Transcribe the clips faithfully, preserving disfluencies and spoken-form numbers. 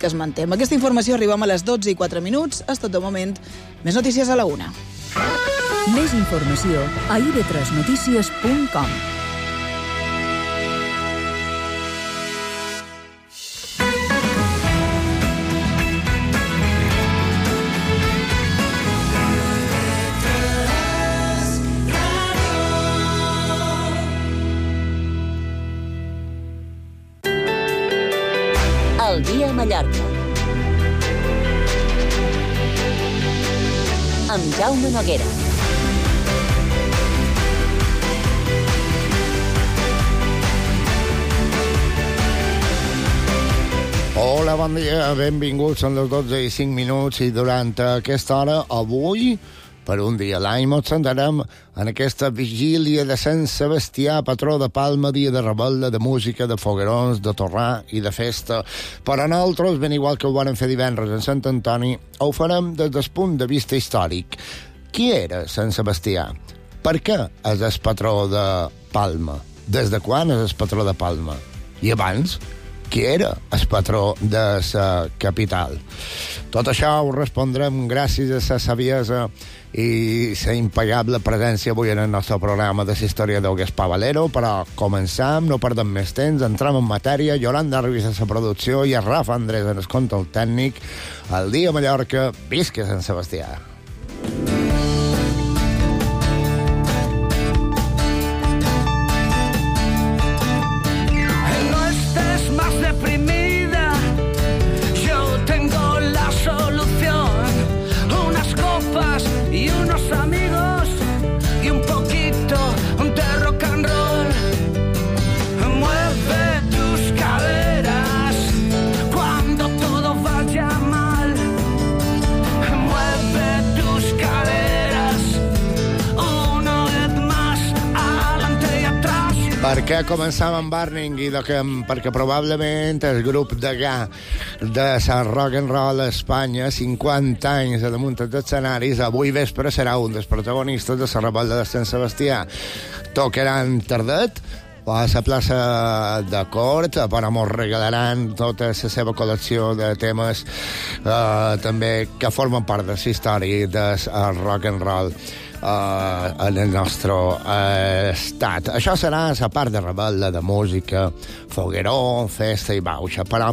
que es manté. Amb aquesta informació arribem a les dotze i quatre minuts. És tot de moment. Més notícies a la una. Més informació a i ve tres notícies punt com. El dia a Mallorca. Amb Jaume Noguera. Hola, bon dia, benvinguts. Són les dotze i cinc minuts i durant aquesta hora, avui, per un dia a l'any, ens sentarem en aquesta vigília de Sant Sebastià, patró de Palma, dia de rebel·la, de música, de foguerons, de torrar i de festa. Per a nosaltres, ben igual que ho van fer divendres en Sant Antoni, ho farem des del punt de vista històric. Qui era Sant Sebastià? Per què és el patró de Palma? Des de quan és el patró de Palma? I abans, qui era el patró de la capital? Tot això ho respondrem gràcies a la saviesa i la impagable presència avui en el nostre programa de l'historiador Gaspar Valero, però començam, no perdem més temps, entrem en matèria. Yolanda Ruiz a la producció i a Rafa Andrés en el control tècnic. El dia a Mallorca, visca Sant Sebastià. Per què començàvem amb Burning? I que, perquè probablement el grup de ga de la rock and roll a Espanya, cinquanta anys a damunt dels escenaris, avui vespre serà un dels protagonistes de la rebel·la de Sant Sebastià. Tocaran tardet a la plaça de Cort, però ens regalaran tota la seva col·lecció de temes eh, també que formen part de la història del rock and roll Uh, en el nostre uh, estat. Això serà la part de rebel·la, de música, fogueró, festa i bauxa. Però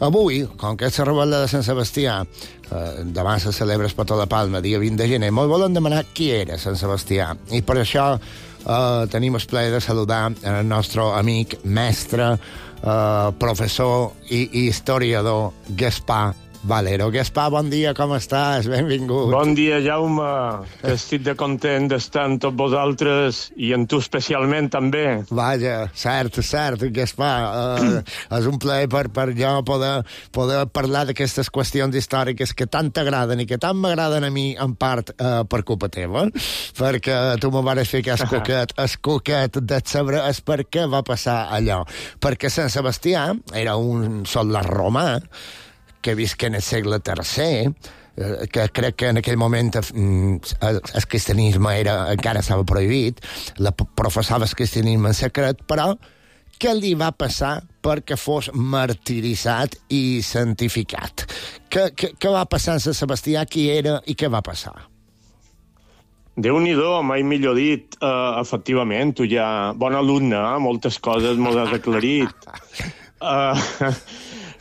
avui, com que és la rebel·la de Sant Sebastià, uh, demà se celebra el Patró de Palma, dia vint de gener, ens volen demanar qui era Sant Sebastià. I per això uh, tenim el plaer de saludar el nostre amic, mestre, uh, professor i, i historiador Gaspar Valero. Gaspar, bon dia, com estàs? Benvingut. Bon dia, Jaume. Estic de content d'estar amb tots vosaltres i amb tu especialment també. Vaja, cert, cert, Gaspar. Uh, és un plaer per, per jo poder, poder parlar d'aquestes qüestions històriques que tant t'agraden i que tant m'agraden a mi, en part, uh, per culpa teva, perquè tu me vas fer que el coquet, el coquet de saber és per què va passar allò. Perquè Sant Sebastià era un soldà romà que visca en el segle tercer, que crec que en aquell moment el cristianisme era, encara estava prohibit, la professava el cristianisme en secret, però què li va passar perquè fos martiritzat i santificat? Què, què, què va passar en Sant Sebastià? Qui era i què va passar? Déu-n'hi-do, mai millor dit. Uh, efectivament, tu ja... Bon alumne, eh? Moltes coses m'ho has aclarit. Uh,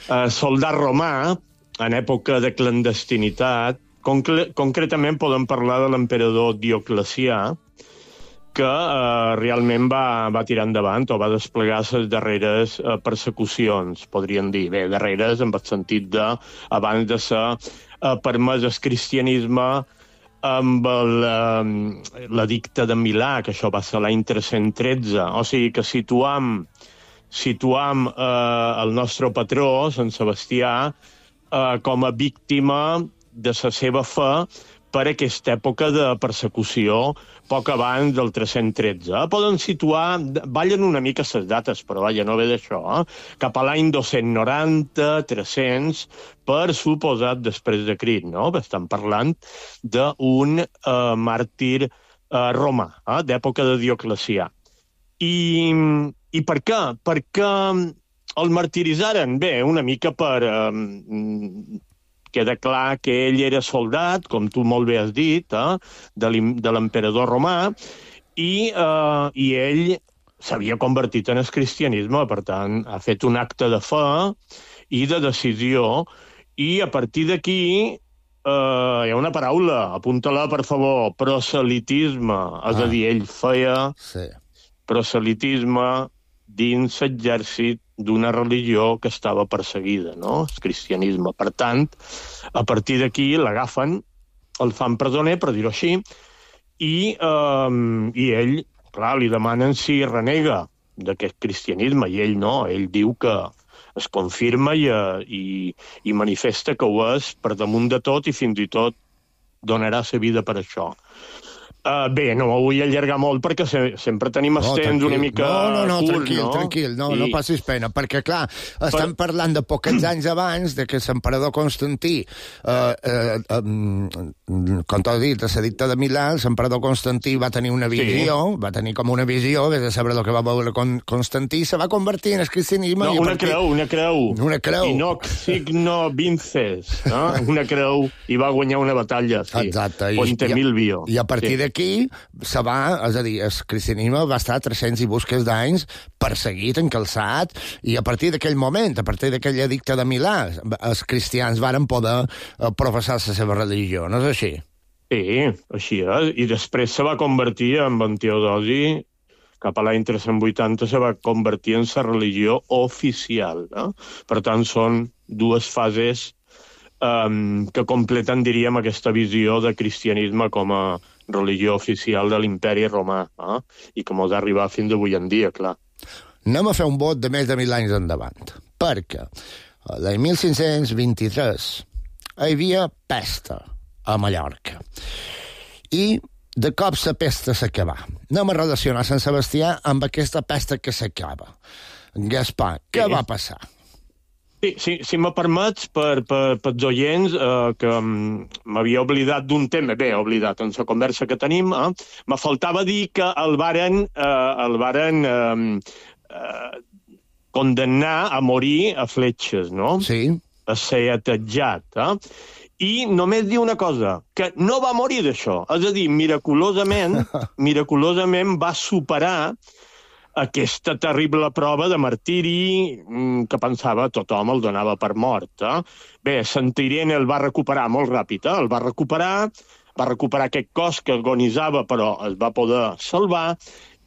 Uh, soldat romà, en època de clandestinitat, concre concretament podem parlar de l'emperador Dioclecià, que uh, realment va, va tirar endavant o va desplegar les darreres uh, persecucions, podríem dir. Bé, darreres en el sentit de, abans de ser uh, permès el cristianisme amb l'edicte de Milà, que això va ser l'any tres-cents tretze. O sigui que situam situam eh, el nostre patró, Sant Sebastià, eh, com a víctima de la seva fe per aquesta època de persecució poc abans del tres-cents tretze. Poden situar, ballen una mica les dates, però vaja, no ve d'això, eh? Cap a l'any dos-cents noranta, tres-cents, per suposat després de Crist, no? Estan parlant d'un eh, màrtir eh, romà, eh? d'època de Dioclecià. I... I per què? Perquè El martiritzaren, bé, una mica per... Eh, queda clar que ell era soldat, com tu molt bé has dit, eh, de l'emperador romà, i, eh, i ell s'havia convertit en el cristianisme, per tant, ha fet un acte de fe i de decisió, i a partir d'aquí eh, hi ha una paraula, apunta-la, per favor, proselitisme, és ah. a dir, ell feia sí. proselitisme dins l'exèrcit d'una religió que estava perseguida, no? El cristianisme. Per tant, a partir d'aquí l'agafen, el fan presoner, per dir-ho així, i, eh, i ell, clar, li demanen si renega d'aquest cristianisme, i ell no, ell diu que es confirma i, i, i manifesta que ho és per damunt de tot i fins i tot donarà sa vida per això. Uh, bé, no ho vull allargar molt perquè se, sempre tenim els no, temps una mica no, no, no, curt, tranquil, no? tranquil, no, I... no passis pena, perquè, clar, estem per... parlant de poquets anys abans de que l'emperador Constantí, eh, eh, eh, com t'ho dit, a l'edicte de Milà, l'emperador Constantí va tenir una visió, sí. va tenir com una visió, vés a saber el que va veure con Constantí, se va convertir en el cristianisme... No, i una partir... creu, una creu. Una creu. I no signo vinces, no? Una creu, i va guanyar una batalla, sí. Exacte. Ponte I, Milvio. I a partir sí. d'aquí se va, és a dir, el cristianisme va estar tres-cents i busques d'anys perseguit, encalçat, i a partir d'aquell moment, a partir d'aquell edicte de Milà, els cristians varen poder professar la seva religió, no és així? Sí, així és, i després se va convertir en Teodosi, cap a l'any tres-cents vuitanta se va convertir en la religió oficial, no? Per tant, són dues fases um, que completen, diríem, aquesta visió de cristianisme com a religió oficial de l'imperi romà, eh? I que mos ha arribat fins avui en dia, clar. Anem a fer un vot de més de mil anys endavant, perquè l'any mil cinc-cents vint-i-tres hi havia pesta a Mallorca, i de cop la pesta s'acaba. Anem a relacionar Sant Sebastià amb aquesta pesta que s'acaba. Gaspar, què sí. va passar? Sí, sí, si me permets, per, per, per els oients, eh, que m'havia oblidat d'un tema, bé, oblidat en la conversa que tenim, eh, me faltava dir que el varen, eh, el varen eh, eh, condemnar a morir a fletxes, no? Sí. A ser atetjat, eh? I només dir una cosa, que no va morir d'això, és a dir, miraculosament, miraculosament va superar aquesta terrible prova de martiri que pensava tothom el donava per mort. Eh? Bé, Santa Irene el va recuperar molt ràpid, eh? el va recuperar, va recuperar aquest cos que agonizava, però es va poder salvar,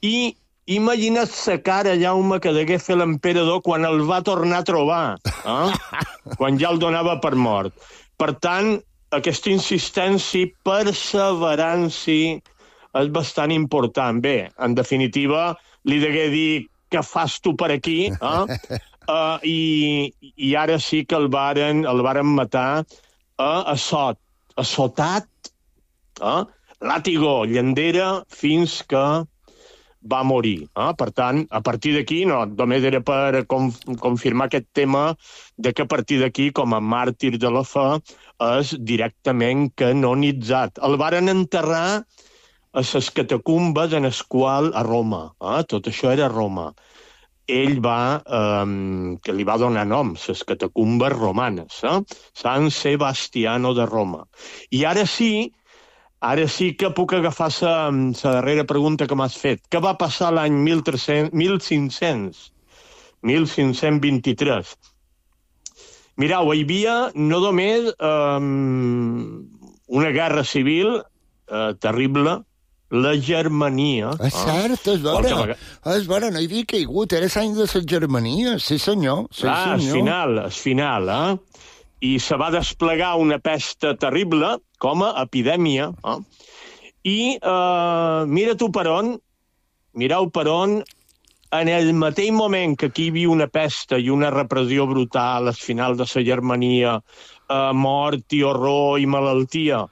i imagina't la cara, Jaume, que degué fer l'emperador quan el va tornar a trobar, eh? quan ja el donava per mort. Per tant, aquesta insistència, perseverància, és bastant important. Bé, en definitiva, li degué dir què fas tu per aquí, eh? uh, i, i ara sí que el varen, el varen matar uh, a sot, assotat, eh? Làtigo, llandera, fins que va morir. Eh? Per tant, a partir d'aquí, no, només era per conf confirmar aquest tema de que a partir d'aquí, com a màrtir de la fe, és directament canonitzat. El varen enterrar a les catacumbes en les quals a Roma. Eh? Tot això era a Roma. Ell va, eh, que li va donar nom, les catacumbes romanes, eh? Sant Sebastiano de Roma. I ara sí, ara sí que puc agafar la darrera pregunta que m'has fet. Què va passar l'any mil cinc-cents vint-i-tres? Mireu, hi havia no només eh, una guerra civil eh, terrible, la Germania. És cert, és vera. És vera, no hi havia caigut, era l'any de la Germania, sí senyor. Sí, ah, senyor. al final, al final, eh? I se va desplegar una pesta terrible com a epidèmia. Eh? I eh, mira tu per on, mireu per on, en el mateix moment que aquí hi havia una pesta i una repressió brutal al final de la Germania, eh, mort i horror i malaltia,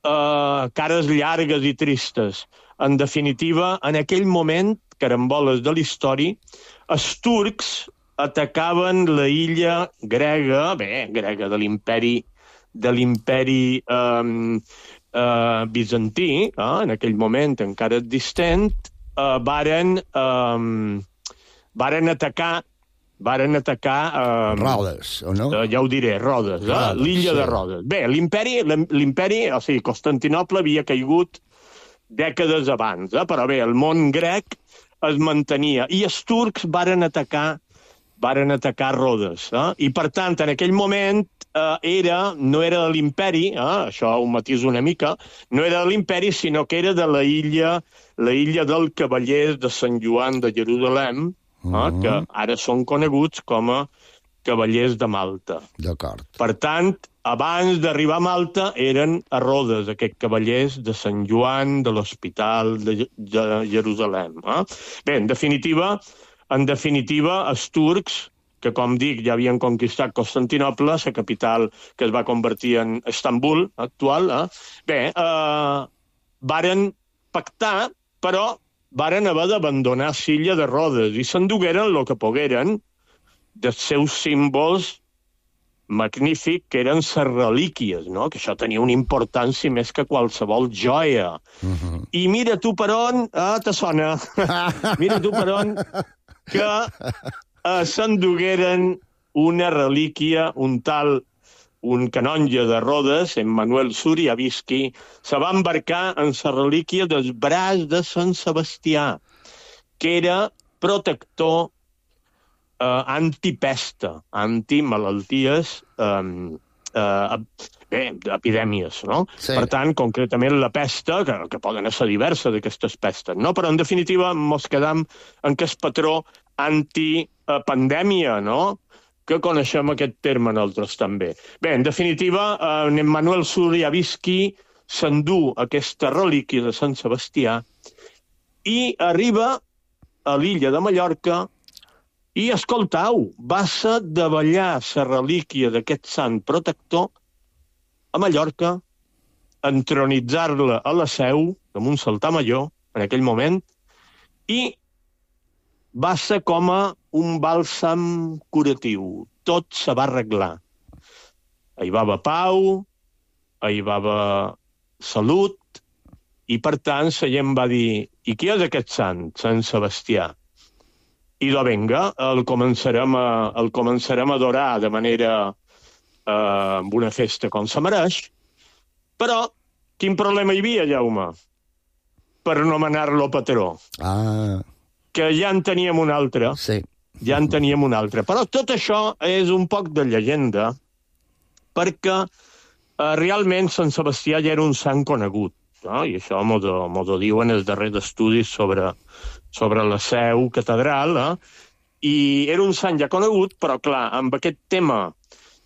Uh, cares llargues i tristes. En definitiva, en aquell moment, caramboles de la història, els turcs atacaven la illa grega, bé, grega de l'imperi de l'imperi um, uh, bizantí, uh, en aquell moment encara existent, uh, varen, um, varen atacar varen atacar... Eh, Rodes, o no? Eh, ja ho diré, Rodes, eh? Rodes, l'illa sí. de Rodes. Bé, l'imperi, l'imperi, o sigui, Constantinoble havia caigut dècades abans, eh? Però bé, el món grec es mantenia, i els turcs varen atacar varen atacar Rodes. Eh? I, per tant, en aquell moment eh, era, no era de l'imperi, eh? Això ho matiso una mica, no era de l'imperi, sinó que era de la illa, la illa del Cavallers de Sant Joan de Jerusalem, eh? uh-huh. que ara són coneguts com a Cavallers de Malta. D'acord. Per tant, abans d'arribar a Malta eren a Rodes, aquests cavallers de Sant Joan, de l'Hospital de, de Jerusalem. Eh? Bé, en definitiva, en definitiva, els turcs, que com dic ja havien conquistat Constantinoble, la capital que es va convertir en Istanbul actual, eh? bé, eh, varen pactar, però varen haver d'abandonar l'illa de Rodes i s'endugueren el que pogueren dels seus símbols magnífic, que eren les relíquies, no? Que això tenia una importància més que qualsevol joia. Uh-huh. I mira tu per on... Ah, te sona. Mira tu per on que eh, s'endugueren una relíquia, un tal, un canonge de Rodes, en Manuel Suriavisky, se va embarcar en la relíquia del braç de Sant Sebastià, que era protector Uh, antipesta, antimalalties, um, uh, bé, epidèmies, no? Sí. Per tant, concretament la pesta, que, que poden ser diverses d'aquestes pestes, no? Però, en definitiva, mos quedam en que és patró antipandèmia, no? Que coneixem aquest terme nosaltres també. Bé, en definitiva, uh, en Manuel Suriavisky s'endú aquesta relíquia de Sant Sebastià i arriba a l'illa de Mallorca. I, escoltau, va ser de ballar la relíquia d'aquest sant protector a Mallorca, entronitzar-la a la Seu, amb un saltar major, en aquell moment, i va ser com a un bàlsam curatiu. Tot se va arreglar. Hi va haver pau, hi va haver salut, i, per tant, la gent va dir, i qui és aquest sant, Sant Sebastià? I de venga, el començarem a, el començarem a adorar de manera eh, amb una festa com se mereix. Però quin problema hi havia, Jaume? Per nomenar-lo patró. Ah. Que ja en teníem un altre. Sí. Ja en teníem un altre. Però tot això és un poc de llegenda, perquè eh, realment Sant Sebastià ja era un sant conegut. No? I això m'ho diuen els darrers estudis sobre... sobre la Seu catedral, eh? I era un sant ja conegut, però, clar, amb aquest tema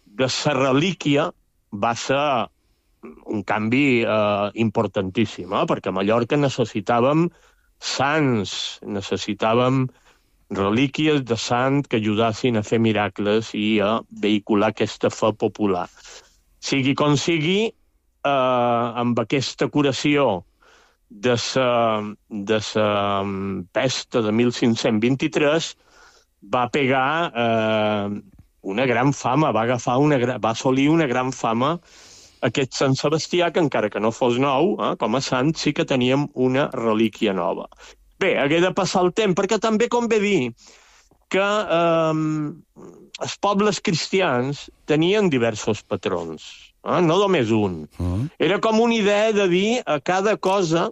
de la relíquia va ser un canvi eh, importantíssim, eh? Perquè a Mallorca necessitàvem sants, necessitàvem relíquies de sant que ajudassin a fer miracles i a vehicular aquesta fe popular. Sigui com sigui, eh, amb aquesta curació de la de sa pesta de mil cinc-cents vint-i-tres va pegar eh, una gran fama, va agafar una, va assolir una gran fama aquest Sant Sebastià, que encara que no fos nou, eh, com a sant, sí que teníem una relíquia nova. Bé, hagué de passar el temps, perquè també convé dir que eh, els pobles cristians tenien diversos patrons, eh, no només un. Mm. Era com una idea de dir a cada cosa,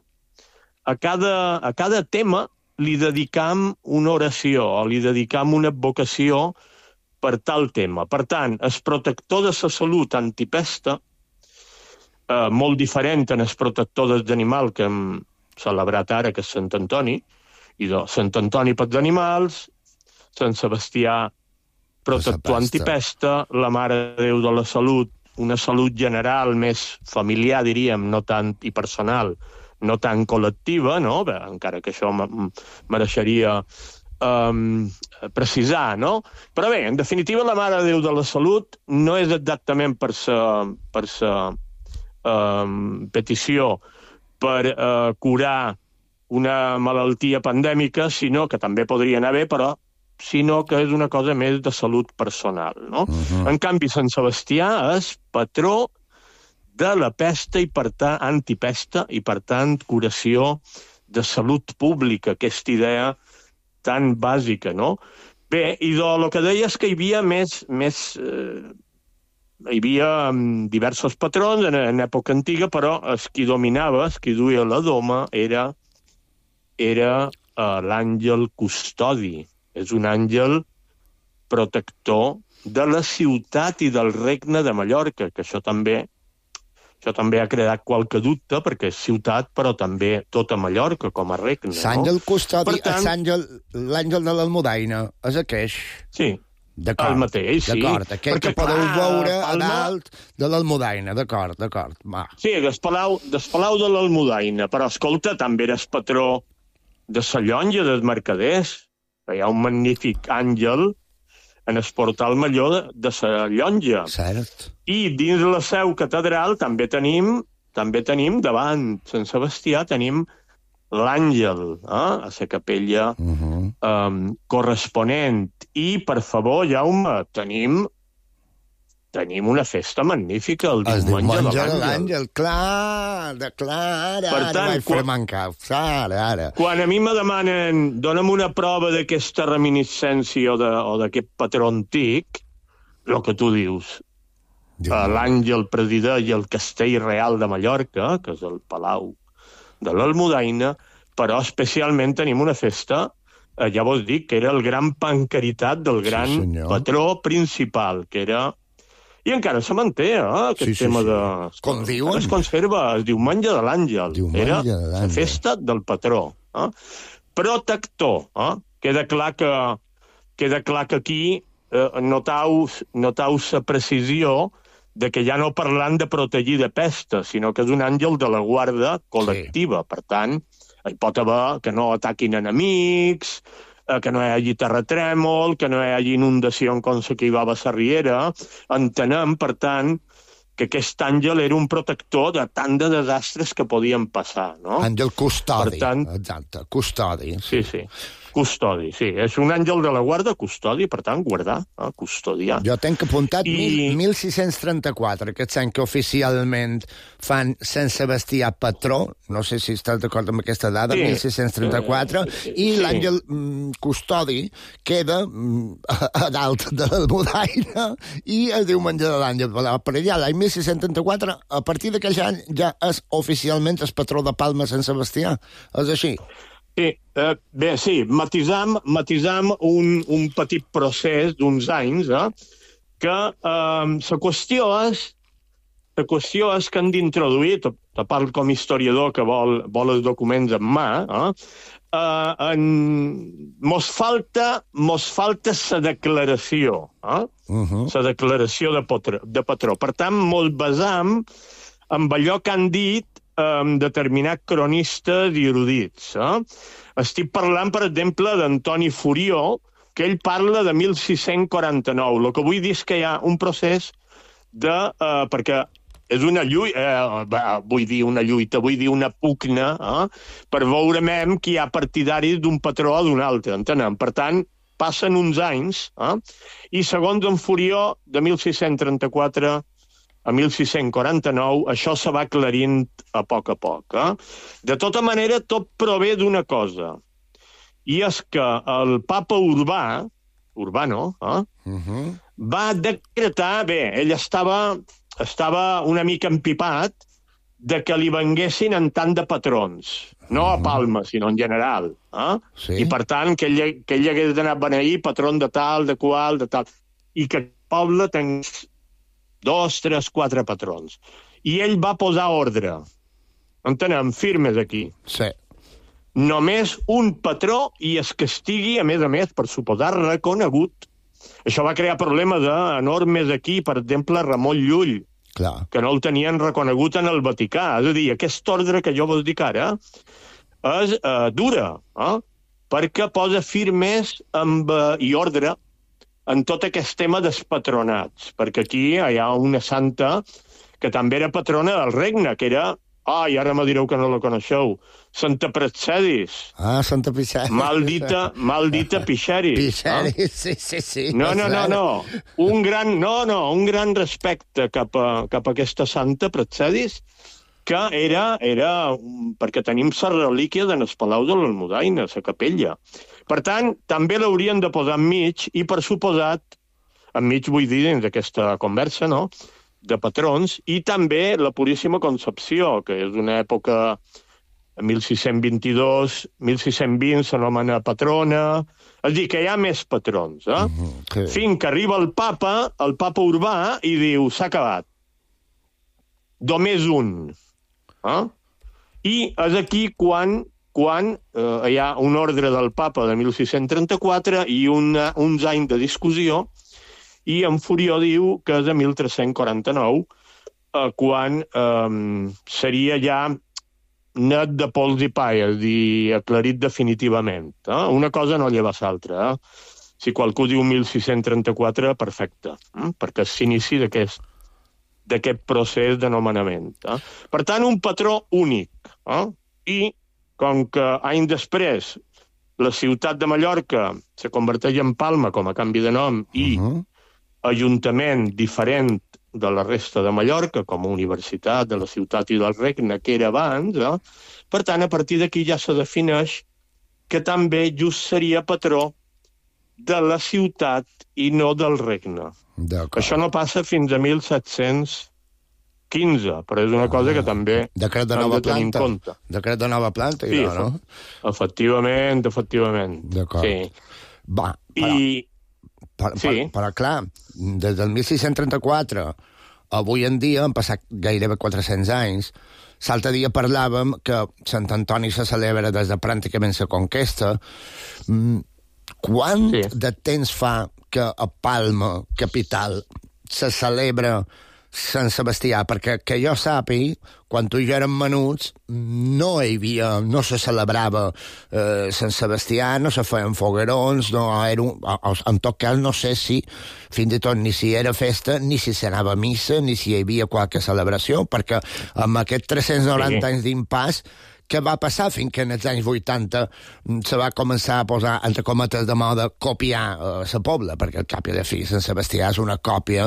A cada, a cada tema li dedicam una oració o li dedicam una advocació per tal tema. Per tant, el protector de la salut antipesta, eh, molt diferent en el protector dels animals que hem celebrat ara, que és Sant Antoni, i de Sant Antoni pels animals, Sant Sebastià protector antipesta, la Mare de Déu de la Salut, una salut general més familiar, diríem, no tant i personal, no tan col·lectiva, no? Bé, encara que això mereixeria um, precisar, no? Però bé, en definitiva, la Mare de Déu de la Salut no és exactament per sa, per sa um, petició per uh, curar una malaltia pandèmica, sinó que també podrien haver, però sinó que és una cosa més de salut personal, no? Uh-huh. En canvi, Sant Sebastià és patró de la pesta i, per tant, antipesta i, per tant, curació de salut pública, aquesta idea tan bàsica, no? Bé, i del que deies que hi havia més... més eh, hi havia um, diversos patrons en, en època antiga, però el qui dominava, el qui duia la doma, era, era uh, l'àngel custodi. És un àngel protector de la ciutat i del regne de Mallorca, que això també això també ha creat qualque dubte, perquè és ciutat, però també tota Mallorca com a regne. L'àngel no? custodi, tant, l'àngel de l'Almudaina, és aqueix? Sí, d'acord, el mateix, sí. D'acord, aquell perquè, que podeu clar, veure a Palma... dalt de l'Almudaina, d'acord, d'acord, va. Sí, del Palau, del Palau de l'Almudaina, però, escolta, també eres patró de la llonja dels mercaders. Hi ha un magnífic àngel en el portal major de la llonja. Cert. I dins la seu catedral també tenim, també tenim davant Sant Sebastià, tenim l'àngel, eh? A la capella uh-huh. um, corresponent. I, per favor, Jaume, tenim tenim una festa magnífica el diumenge de l'àngel. l'àngel, clar, de clar, ara, per tant, ara vaig fer mancar, ara, ara. Quan a mi me demanen, dona'm una prova d'aquesta reminiscència o d'aquest patró antic, el que tu dius, l'àngel presideix el castell real de Mallorca, que és el Palau de l'Almudaina, però especialment tenim una festa, eh, ja vos dic, que era el gran pancaritat del gran sí, patró principal, que era... I encara se manté, eh, aquest sí, sí, tema de... Sí. Com diuen? Es conserva, el diumenge de l'àngel. Era la festa del patró. Eh? Protector. Eh? Queda clar que, queda clar que aquí eh, notau, notau la precisió de que ja no parlant de protegir de pesta, sinó que és un àngel de la guarda col·lectiva. Sí. Per tant, hi pot haver que no ataquin enemics, que no hi hagi terratrèmol, que no hi hagi inundació com la que hi va a la Riera. Entenem, per tant, que aquest àngel era un protector de tant de desastres que podien passar, no? Àngel custodi, per tant, exacte, custodi. Sí, sí, custodi, sí. És un àngel de la guarda, custodi, per tant, guardar, eh? Custodiar. Jo tenc apuntat I... mil sis-cents trenta-quatre, aquest any que oficialment fan Sant Sebastià patró, no sé si estàs d'acord amb aquesta dada, sí. mil sis-cents trenta-quatre, eh, sí. i sí. l'àngel mm, custodi queda mm, a, a dalt de l'Almudaina i es diu menjar de l'àngel. Per allà, l'any mil sis-cents trenta-quatre, a partir d'aquell any ja és oficialment el patró de Palma Sant Sebastià. És així? Sí, eh, bé, sí, matisam, matisam un, un petit procés d'uns anys, eh, que eh, la qüestió és la qüestió és que han d'introduir, te parlo com historiador que vol, vol els documents en mà, eh, eh, en, mos falta mos falta la declaració, eh? uh-huh. la declaració de patró, de patró. Per tant, mos basam en allò que han dit um, determinats cronistes i erudits. Eh? Estic parlant, per exemple, d'Antoni Furió, que ell parla de mil sis-cents quaranta-nou. El que vull dir és que hi ha un procés de... Uh, perquè és una lluita, eh, vull dir una lluita, vull dir una pugna, eh, per veure mem qui hi ha partidaris d'un patró o d'un altre, entenem? Per tant, passen uns anys, eh, i segons en Furió, de mil sis-cents trenta-quatre a mil sis-cents quaranta-nou, això se va aclarint a poc a poc. Eh? De tota manera, tot prové d'una cosa, i és que el papa Urbà, Urbano, eh, uh-huh. va decretar, bé, ell estava... estava una mica empipat de que li venguessin en tant de patrons. No a Palma, sinó en general. Eh? Sí. I, per tant, que ell, que ell hagués d'anar a beneir patron de tal, de qual, de tal. I que el poble tingués dos, tres, quatre patrons. I ell va posar ordre. Entenem? Firmes aquí. Sí. Només un patró i es que estigui, a més a més, per suposar, reconegut. Això va crear problemes enormes aquí, per exemple, Ramon Llull, clar, que no el tenien reconegut en el Vaticà. És a dir, aquest ordre que jo vos dic ara és uh, dura, eh? perquè posa firmes amb, uh, i ordre en tot aquest tema dels patronats. Perquè aquí hi ha una santa que també era patrona del regne, que era... Ai, ara me direu que no la coneixeu. Santa Praxedis. Ah, Santa Pixeris. Maldita, maldita Pixeris. Pixeris, eh? sí, sí, sí. No, no, no, no. Un gran, no, no, un gran respecte cap a, cap a aquesta Santa Praxedis, que era, era perquè tenim la relíquia de les Palau de l'Almudaina, la capella. Per tant, també l'haurien de posar enmig, i per suposat, enmig vull dir dins d'aquesta conversa, no?, de patrons, i també la Puríssima Concepció, que és una època, mil sis-cents vint-i-dos, mil sis-cents vint s'anomena patrona, és a dir, que hi ha més patrons, eh? Uh-huh, okay. Fins que arriba el papa, el papa Urbà, i diu, s'ha acabat. Només un. Eh? I és aquí quan, quan eh, hi ha un ordre del papa de mil sis-cents trenta-quatre i una, uns anys de discussió, i en Furió diu que és de mil tres-cents quaranta-nou, eh, quan eh, seria ja net de pols i pa, és a dir, aclarit definitivament. Eh? Una cosa no lleva l'altra. Eh? Si qualcú diu mil sis-cents trenta-quatre, perfecte, eh? perquè s'inici d'aquest d'aquest procés de nomenament. Eh? Per tant, un patró únic. Eh? I, com que anys després la ciutat de Mallorca se converteix en Palma com a canvi de nom i uh-huh. ajuntament diferent de la resta de Mallorca, com a universitat de la ciutat i del regne, que era abans, eh? Per tant, a partir d'aquí ja se defineix que també just seria patró de la ciutat i no del regne. Això no passa fins a mil set-cents quinze, però és una cosa que també decret de nova planta. Decret de nova planta, sí, ja, no? Efectivament, efectivament. D'acord. Sí. Va, però, I... però, sí. però, però clar, des del mil sis-cents trenta-quatre avui en dia, han passat gairebé quatre-cents anys, l'altre dia parlàvem que Sant Antoni se celebra des de pràcticament la conquesta. Quant sí. de temps fa que a Palma, capital, se celebra Sant Sebastià? Perquè que jo sàpiga, quan tu i jo érem menuts, no hi havia, no se celebrava eh, Sant Sebastià, no se feien foguerons, no era un, en tot cas no sé si fins i tot ni si era festa, ni si s'anava a missa, ni si hi havia qualque celebració, perquè amb aquests tres-cents noranta sí. anys d'impàs, què va passar fins que en els anys vuitanta se va començar a posar, entre cometes de moda, copiar eh, la Pobla, perquè al cap i a la fi Sant Sebastià és una còpia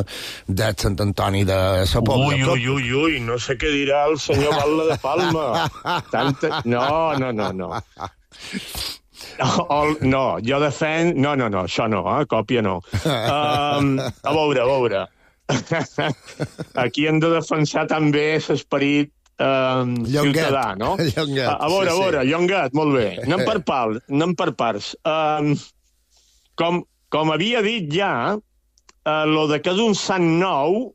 de Sant Antoni de la Pobla. Ui, ui, ui, ui, no sé què dirà el senyor Batlle de Palma. Tanta... No, no, no, no. No, no, jo defenc... No, no, no, això no, eh? Còpia no. Um, a veure, a veure. Aquí hem de defensar també l'esperit Um, ciutadà, no? Llonguet, a, a veure, sí, a veure, sí. Llonguet, molt bé. Anem per, pal, anem per parts. Um, com, com havia dit ja, uh, lo de que és un sant nou,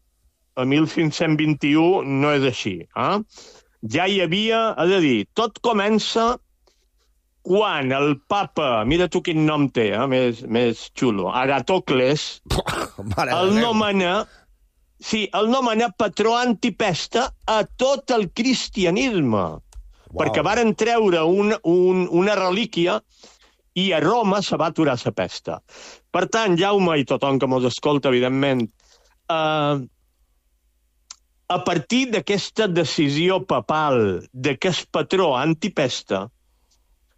a mil cinc-cents vint-i-u, no és així. Eh? Ja hi havia, és a dir, tot comença quan el papa, mira tu quin nom té, eh? més, més xulo, Agatocles, el nomena... Sí, el nomena patró antipesta a tot el cristianisme, wow. perquè varen treure un, un, una relíquia i a Roma se va aturar la pesta. Per tant, Jaume i tothom que mos escolta, evidentment, eh, a partir d'aquesta decisió papal de que és patró antipesta,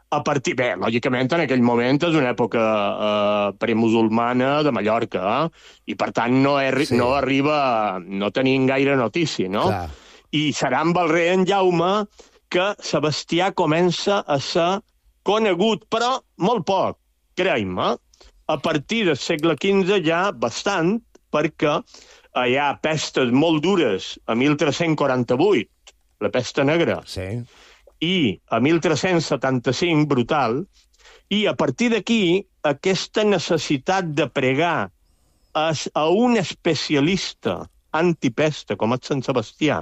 a partir... Bé, lògicament, en aquell moment és una època eh, premusulmana de Mallorca, eh? I, per tant, no, er, sí. no arriba... No tenim gaire notícia, no? Clar. I serà amb el rei en Jaume que Sebastià comença a ser conegut, però molt poc, creiem-me. A partir del segle quinze ja bastant, perquè hi ha pestes molt dures a mil tres-cents quaranta-vuit, la pesta negra. Sí. I a mil tres-cents setanta-cinc, brutal, i a partir d'aquí, aquesta necessitat de pregar a, a un especialista antipesta, com és Sant Sebastià,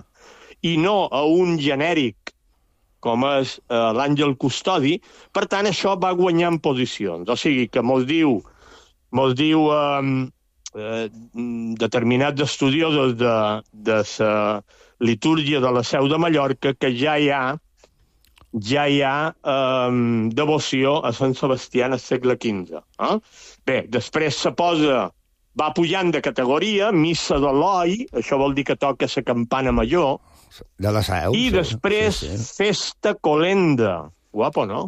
i no a un genèric, com és eh, l'Àngel Custodi, per tant, això va guanyant posicions. O sigui, que mos diu, mos diu eh, eh, determinats estudiosos de, de la litúrgia de la Seu de Mallorca que ja hi ha ja hi ha eh, devoció a Sant Sebastià al segle quinze. Eh? Bé, després se posa, va pujant de categoria, missa de l'Oi, això vol dir que toca la campana major, de la Seu, i sí. després sí, sí. festa colenda. Guapo, no?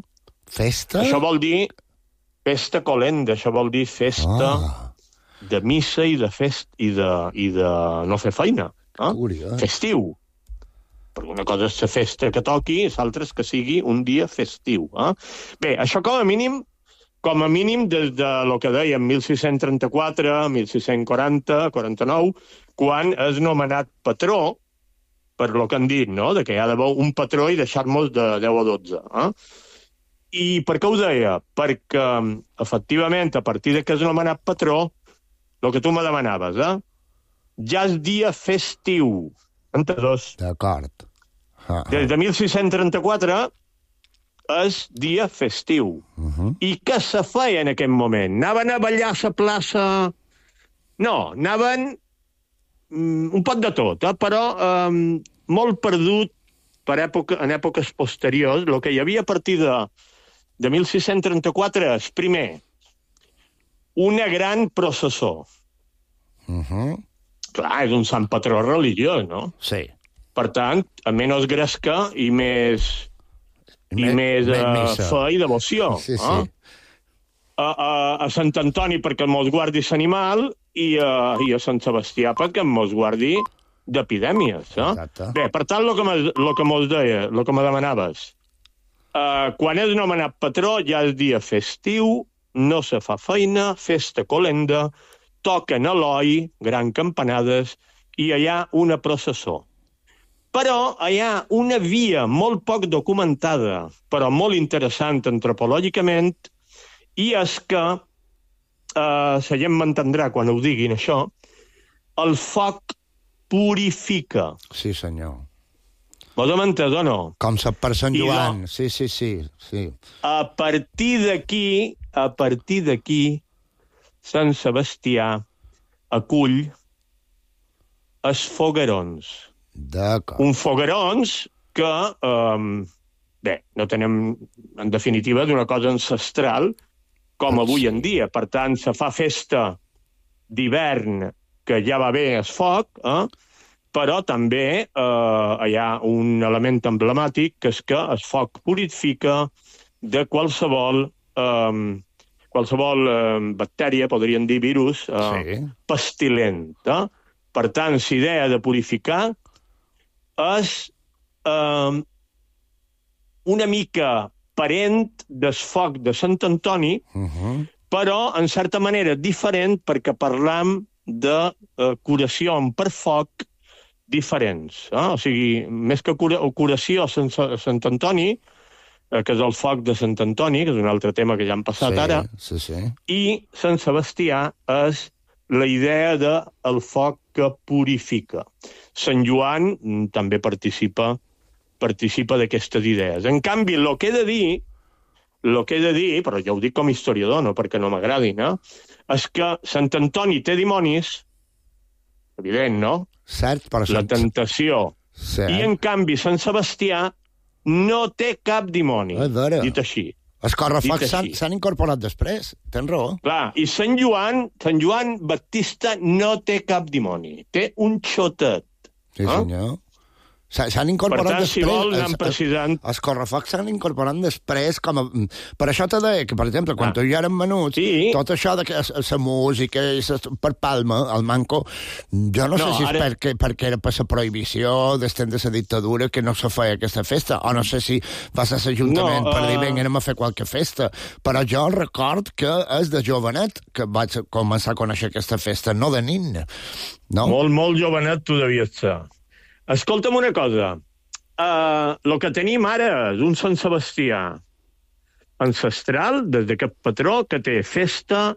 Festa? Això vol dir festa colenda, això vol dir festa oh. de missa i de fest i de, i de no fer feina. Eh? Festiu. perquè una cosa és la festa que toqui i l'altra és que sigui un dia festiu. Eh? Bé, això com a mínim, com a mínim des de lo que dèiem, mil sis-cents trenta-quatre, mil sis-cents quaranta, quaranta-nou, quan és nomenat patró, per lo que han dit, no?, de que hi ha d'haver un patró i deixar-nos de deu a dotze. Eh? I per què ho deia? Perquè, efectivament, a partir de que és nomenat patró, el que tu me demanaves, eh? ja és dia festiu. Entesos? D'acord. Ah, ah. Des de mil sis-cents trenta-quatre és dia festiu. Uh -huh. I què se feia en aquell moment? Anaven a ballar a la plaça? No, anaven mm, un poc de tot, eh? Però eh, molt perdut per època, en èpoques posteriors. El que hi havia a partir de, de mil sis-cents trenta-quatre és, primer, una gran processó. Uh -huh. Clar, és un sant patró religiós, no? Sí. Per tant, a menys gresca i més... i Me, més uh, fe i devoció. Sí, sí. Eh? A, a, a Sant Antoni perquè mos guardi l'animal i, uh, i a Sant Sebastià perquè mos guardi d'epidèmies. Eh? Exacte. Bé, per tant, el que, me, lo que mos deia, el que me demanaves, uh, quan és nomenat patró ja és dia festiu, no se fa feina, festa colenda, toquen Eloi, gran campanades, i hi ha una processó. Però hi ha una via molt poc documentada, però molt interessant antropològicament, i és que, eh, la gent m'entendrà quan ho diguin, això, el foc purifica. Sí, senyor. Vos hem entès o no? Com sap per Sant I Joan. no. Sí, sí, sí, sí. A partir d'aquí, a partir d'aquí, Sant Sebastià acull els foguerons. D'acord. Un foguerons que, eh, bé, no tenem, en definitiva, d'una cosa ancestral, com avui en dia. Per tant, se fa festa d'hivern, que ja va bé el foc, eh? Però també eh, hi ha un element emblemàtic, que és que el foc purifica de qualsevol... Eh, qualsevol eh, bactèria, podríem dir virus, eh, Sí. pestilent. Eh? Per tant, l'idea de purificar és eh, una mica parent del foc de Sant Antoni, Uh -huh. però, en certa manera, diferent perquè parlam de eh, curació per foc diferents. Eh? O sigui, més que cura curació a Sant, a Sant Antoni, eh, que és el foc de Sant Antoni, que és un altre tema que ja hem passat Sí, ara, sí, sí. i Sant Sebastià és la idea del de foc que purifica. Sant Joan mm, també participa participa d'aquestes idees. En canvi, el que he de dir, el que he de dir, però ja ho dic com a historiador, no perquè no m'agradin, eh? és que Sant Antoni té dimonis, evident, no? Cert, però... La tentació. Cert. I, en canvi, Sant Sebastià no té cap dimoni, A veure. dit així. Els correfocs Dit s'han així. s'han incorporat després. Tens raó. Clar, i Sant Joan, Sant Joan Baptista no té cap dimoni, té un xotet. Sí, Ah? senyor. S'ha- S'han incorporat Per tant, si després... vol, anem els- precisant. Els correfocs s'han incorporat després com a... Per això te deia que, per exemple, quan Ah. tu i jo érem menuts, Sí. tot això de que la música i sa, per Palma, el manco, jo no, No, sé si és ara- perquè, perquè era per la prohibició d'estem de la dictadura que no se feia aquesta festa, o no sé si va ser l'Ajuntament No, per dir, uh, vinga, anem a fer qualque festa, però jo record que és de jovenet que vaig començar a conèixer aquesta festa, no de nin, no? Molt, molt jovenet tu devies ser. Escolta'm una cosa. Uh, el que tenim ara és un Sant Sebastià ancestral, des d'aquest patró, que té festa,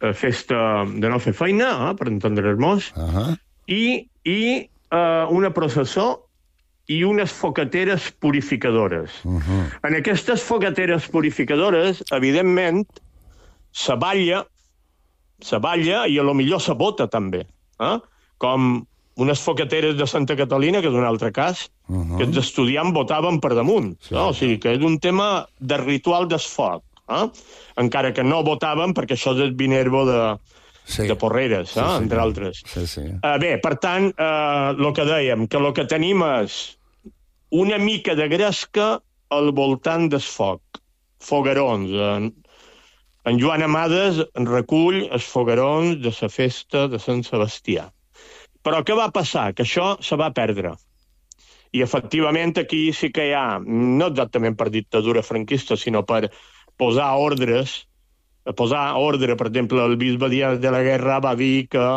uh, festa de no fer feina, eh, per entendre'ns, Uh -huh. i, i uh, una processó i unes focateres purificadores. Uh -huh. En aquestes focateres purificadores, evidentment, se balla, se balla i a lo millor se bota també, eh? Com unes focateres de Santa Catalina, que és un altre cas, Uh -huh. que els estudiants votaven per damunt. Sí. No? O sigui, que és un tema de ritual desfoc. Eh? Encara que no votaven, perquè això és el Vinervo de, Sí. de Porreres, eh? Sí, sí. entre altres. Sí, sí. Uh, bé, per tant, el uh, que dèiem, que el que tenim és una mica de gresca al voltant del foc. Foguerons. En, en Joan Amades recull els foguerons de la festa de Sant Sebastià. Però què va passar? Que això se va perdre. I, efectivament, aquí sí que hi ha, no exactament per dictadura franquista, sinó per posar ordres, posar ordre, per exemple, el bisbe Díaz de la Guerra va dir que,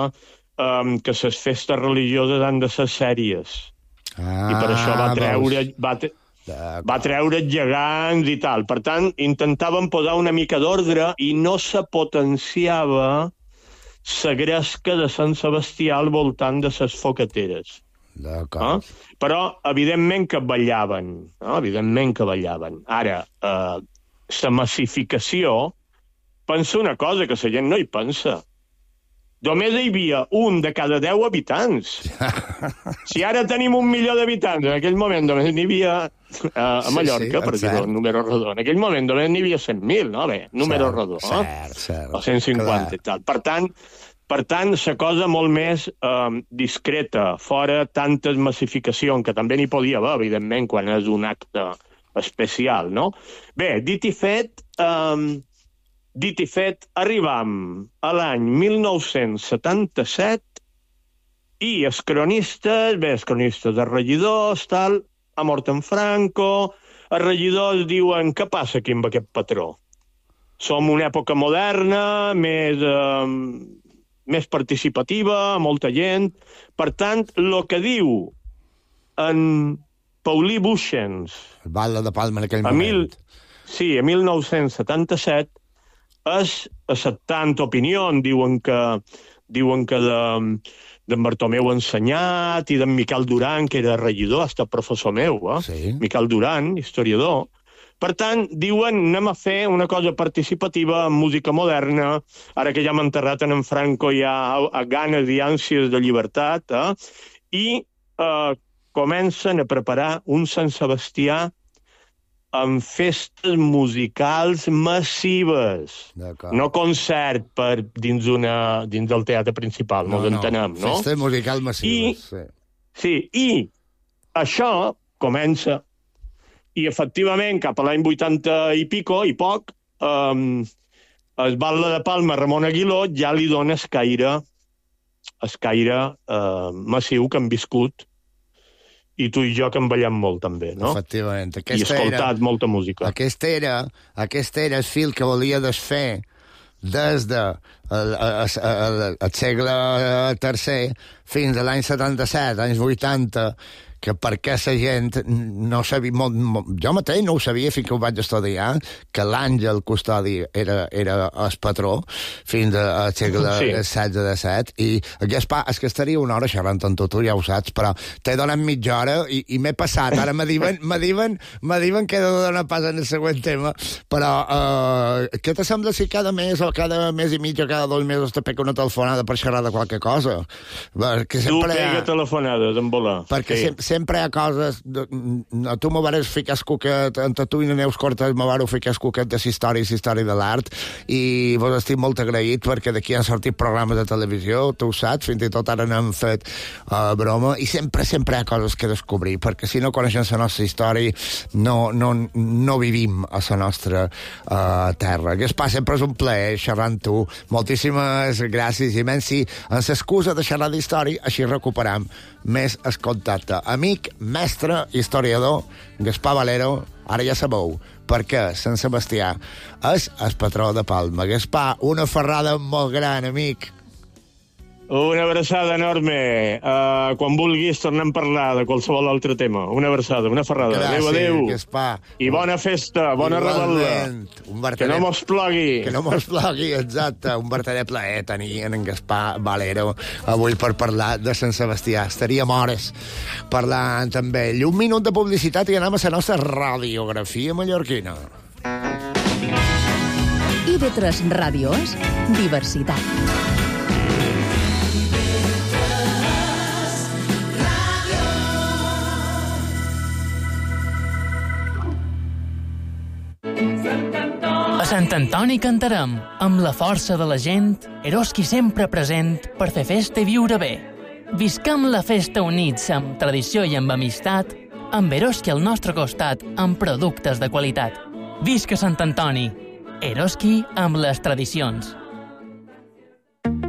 um, que les festes religioses han de ser sèries. Ah, I per això va treure... Va te... va treure gegants i tal. Per tant, intentaven posar una mica d'ordre i no se potenciava la gresca de Sant Sebastià al voltant de les focateres. D'acord. Eh? Però, evidentment que ballaven. Eh? Evidentment que ballaven. Ara, eh, la massificació, pensa una cosa que la gent no hi pensa. Només hi havia un de cada deu habitants. Si ara tenim un milió d'habitants, en aquell moment només n'hi havia, uh, a Mallorca, sí, sí, per dir-ho, número rodó, en aquell moment només n'hi havia cent mil, no? Bé, número cert, rodó, eh? Cert, cert. O cent cinquanta i tal. Per tant, per tant, la cosa molt més um, discreta, fora tantes massificacions, que també n'hi podia haver, evidentment, quan és un acte especial, no? Bé, dit i fet... Um, Dit i fet, arribam a l'any mil nou-cents setanta-set i els cronistes, bé, els cronistes de regidors, tal, ha mort en Franco, els regidors diuen què passa aquí amb aquest patró? Som una època moderna, més, eh, més participativa, molta gent. Per tant, el que diu en Paulí Buixens... El Batlle de Palma en aquell moment. Mil, sí, a mil nou-cents setanta-set, és acceptant opinió, diuen que, diuen que de, d'en Bartomeu Ensenyat i d'en Miquel Duran, que era regidor, ha estat professor meu, eh? Sí. Miquel Duran, historiador. Per tant, diuen, anem a fer una cosa participativa amb música moderna, ara que ja hem enterrat en Franco hi ha ganes i ànsies de llibertat, eh? I eh, comencen a preparar un Sant Sebastià amb festes musicals massives. No concert per dins, una, dins del teatre principal, no, ens entenem, no? Festes musicals massives, I, sí. Sí, i això comença, i efectivament, cap a l'any vuitanta i pico, i poc, um, el Batlle de Palma, Ramon Aguiló, ja li dona el caire, el caire uh, massiu que han viscut, i tu i jo que en ballem molt, també, no? Efectivament. I escoltat era, molta música. Aquest era, aquest era el fil que volia desfer des de el, el, el, el segle tercer fins a l'any setanta-set, anys vuitanta, que perquè la gent no sabia... Molt, molt, jo mateix no ho sabia fins que ho vaig estudiar, que l'Àngel Custodi era, era el patró fins al segle sí. setze disset, i Gaspar, és que estaria una hora xerrant amb tu, tu ja ho saps, però t'he donat mitja hora i, i m'he passat. Ara me diuen, me diuen, me diuen que he de donar pas en el següent tema, però uh, què te sembla si cada mes o cada mes i mig o cada dos mesos te pega una telefonada per xerrar de qualque cosa? Perquè tu pega ha... telefonades, en volar. Perquè sí. sempre sempre hi ha coses... De, a tu me vares ficar el cuquet, entre tu i la Neus Cortés me vareu ficar el cuquet de la història i la història de l'art, i vos estic molt agraït perquè d'aquí han sortit programes de televisió, tu ho saps, fins i tot ara n'hem fet uh, broma, i sempre, sempre hi ha coses que descobrir, perquè si no coneixem la nostra història no, no, no vivim a la nostra uh, terra. Gaspar, sempre és un plaer xerrar amb tu. Moltíssimes gràcies, i menys si en l'excusa de xerrar d'història així recuperam més el contacte. Amic, mestre, historiador, Gaspar Valero, ara ja sabeu perquè Sant Sebastià és el patró de Palma. Gaspar, una ferrada molt gran, amic. Una abraçada enorme. Uh, quan vulguis tornem a parlar de qualsevol altre tema. Una abraçada, una ferrada. Gràcies, adéu, adéu. Gaspar. I bona festa, bona rebel·la. Que no mos plogui. Que no mos plogui, exacte. Un verdader plaer tenir en Gaspar Valero avui per parlar de Sant Sebastià. Estaríem hores parlant amb ell. Un minut de publicitat i anem a la nostra radiografia mallorquina. I ve tres ràdios, diversitat. A Sant Antoni cantarem, amb la força de la gent, Eroski sempre present per fer festa i viure bé. Viscam la festa units amb tradició i amb amistat, amb Eroski al nostre costat, amb productes de qualitat. Visca Sant Antoni! Eroski amb les tradicions.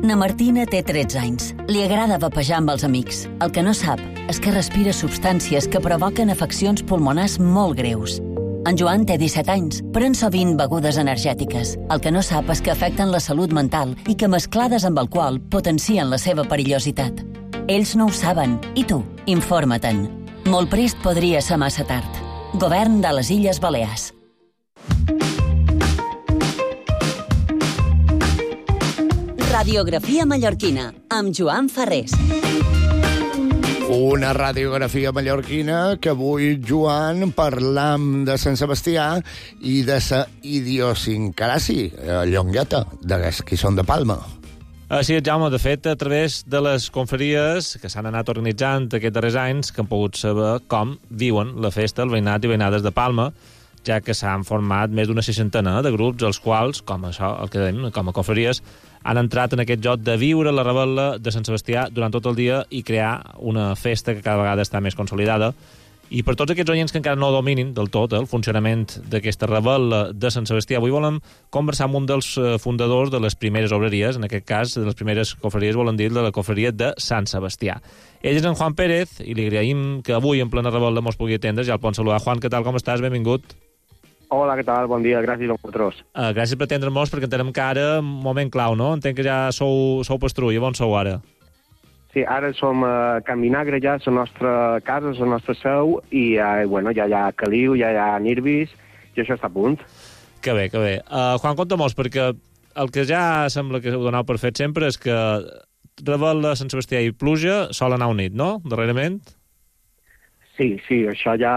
Na Martina té tretze anys. Li agrada vapejar amb els amics. El que no sap és que respira substàncies que provoquen afeccions pulmonars molt greus. En Joan té disset anys, pren sovint begudes energètiques. El que no sap és que afecten la salut mental i que mesclades amb alcohol potencien la seva perillositat. Ells no ho saben, i tu, informa-te'n. Molt prest podria ser massa tard. Govern de les Illes Balears. Radiografia mallorquina, amb Joan Ferrés. Una radiografia mallorquina que avui, Joan, parlam de Sant Sebastià i de sa idiosincràsia, llongueta, dels qui són de Palma. Així és, Jaume. De fet, a través de les confraries que s'han anat organitzant aquests darrers anys, que han pogut saber com viuen la festa el veïnat i veïnades de Palma, ja que s'han format més d'una seixantena de grups, els quals, com això, el que dèiem, com a confraries, han entrat en aquest joc de viure la rebel·la de Sant Sebastià durant tot el dia i crear una festa que cada vegada està més consolidada. I per tots aquests oients que encara no dominin del tot el funcionament d'aquesta rebel·la de Sant Sebastià, avui volem conversar amb un dels fundadors de les primeres obreries, en aquest cas, de les primeres confraries, volen dir, de la confraria de Sant Sebastià. Ell és en Juan Pérez i li agraïm que avui, en plena rebel·la, mos pugui atendre. Ja el podem saludar. Juan, què tal, com estàs? Benvingut. Hola, què tal? Bon dia, gràcies a vosaltres. Uh, gràcies per atendre'ns, perquè entenem que ara, moment clau, no? Entenc que ja sou, sou Pastrulla. On sou ara? Sí, ara som a Can Vinagre, ja, la nostra casa, la nostra seu, i uh, bueno, ja hi ha caliu, ja hi ha nirbis, i això està a punt. Que bé, que bé. Uh, Juan, conta-mos, perquè el que ja sembla que ho donau per fet sempre és que rebel·la, Sant Sebastià i pluja sol anar unit, no?, darrerament? Sí, sí, això ja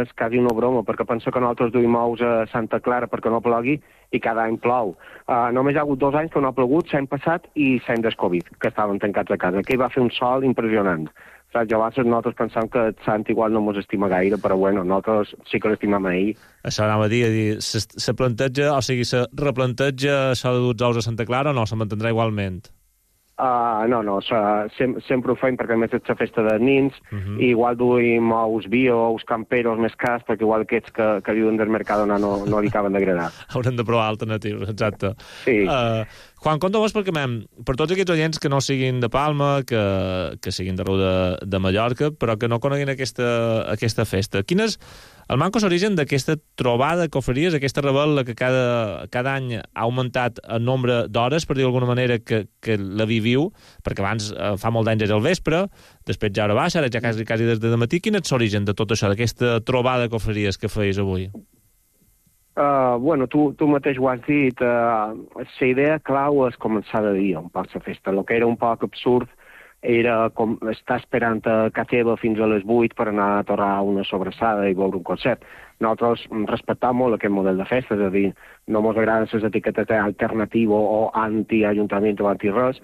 és quasi una broma, perquè penso que nosaltres duim ous a Santa Clara perquè no plogui i cada any plou. Uh, només hi ha hagut dos anys que no ha plogut, l'any passat i l'any del Covid, que estaven tancats a casa, que hi va fer un sol impressionant. Saps? Llavors nosaltres pensam que el Sant igual no ens estima gaire, però bueno, nosaltres sí que l'estimam a ell. Això anava a dir, a dir se, se planteja, o sigui, se replanteja això de dur ous a Santa Clara o no, se mantindrà igualment? Uh, no, no, sem sempre ho fem perquè a més és la festa de nins, uh -huh. i igual duim ous bio, ous camperos més cars, perquè igual aquests que, que viuen del Mercadona no, no li acaben d'agradar. Haurem de provar alternatius, exacte. Sí. Uh, Juan, conta-vos perquè, mem, per tots aquests oients que no siguin de Palma, que, que siguin d'arreu de, de Mallorca, però que no coneguin aquesta, aquesta festa, quin és el manco s'origen d'aquesta trobada de confraries, aquesta rebel·la que cada, cada any ha augmentat el nombre d'hores, per dir d'alguna manera, que, que la viviu, perquè abans eh, fa molt d'anys era al vespre, després ja hora baixa, ara ja quasi, quasi des de matí. Quin és l'origen de tot això, d'aquesta trobada de confraries que feis avui? Uh, bueno, tu, tu mateix ho has dit, uh, la idea clau és començar de dia un poc la festa. El que era un poc absurd era com estar esperant a casa teva fins a les vuit per anar a torrar una sobrassada i veure un concert. Nosaltres respectam molt aquest model de festa, és a dir, no ens agraden les etiquetes d'alternatiu o anti-ajuntament o anti-res,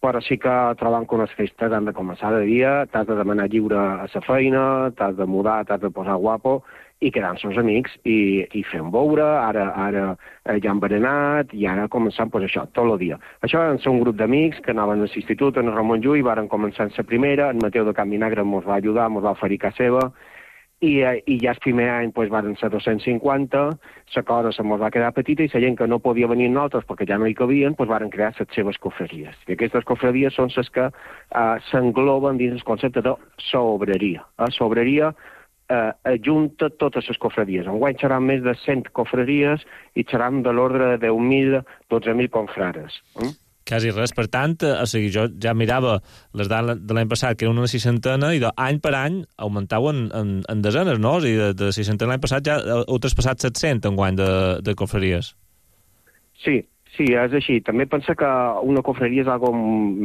però sí que trobam que unes festes han de començar de dia, t'has de demanar lliure a la feina, t'has de mudar, t'has de posar guapo, i quedar amb els amics i, i fer un beure, ara, ara ja han berenat, i ara començant pues, això, tot el dia. Això van ser un grup d'amics que anaven a l'institut, en Ramon Llull, varen començar en la primera, en Mateu de Can Vinagre ens va ajudar, ens va oferir casa seva, i, i ja el primer any pues, van ser dos-cents cinquanta, la cosa se ens va quedar petita i la gent que no podia venir amb nosaltres perquè ja no hi cabien, pues, varen crear les seves confraries. I aquestes confraries són les que uh, s'engloben dins el concepte de sobreria. La sobreria Uh, ajunta totes les confraries. Enguany seran més de cent confraries i seran de l'ordre de deu mil, dotze mil confrares. Mm? Quasi res. Per tant, o sigui, jo ja mirava les dades de l'any passat, que era una seixantena, i d'any per any augmentau en, en, en desenes, no? O sigui, de, de seixantena l'any passat ja heu traspassat set-cents enguany de, de confraries. Sí, sí, és així. També pensa que una confraria és algo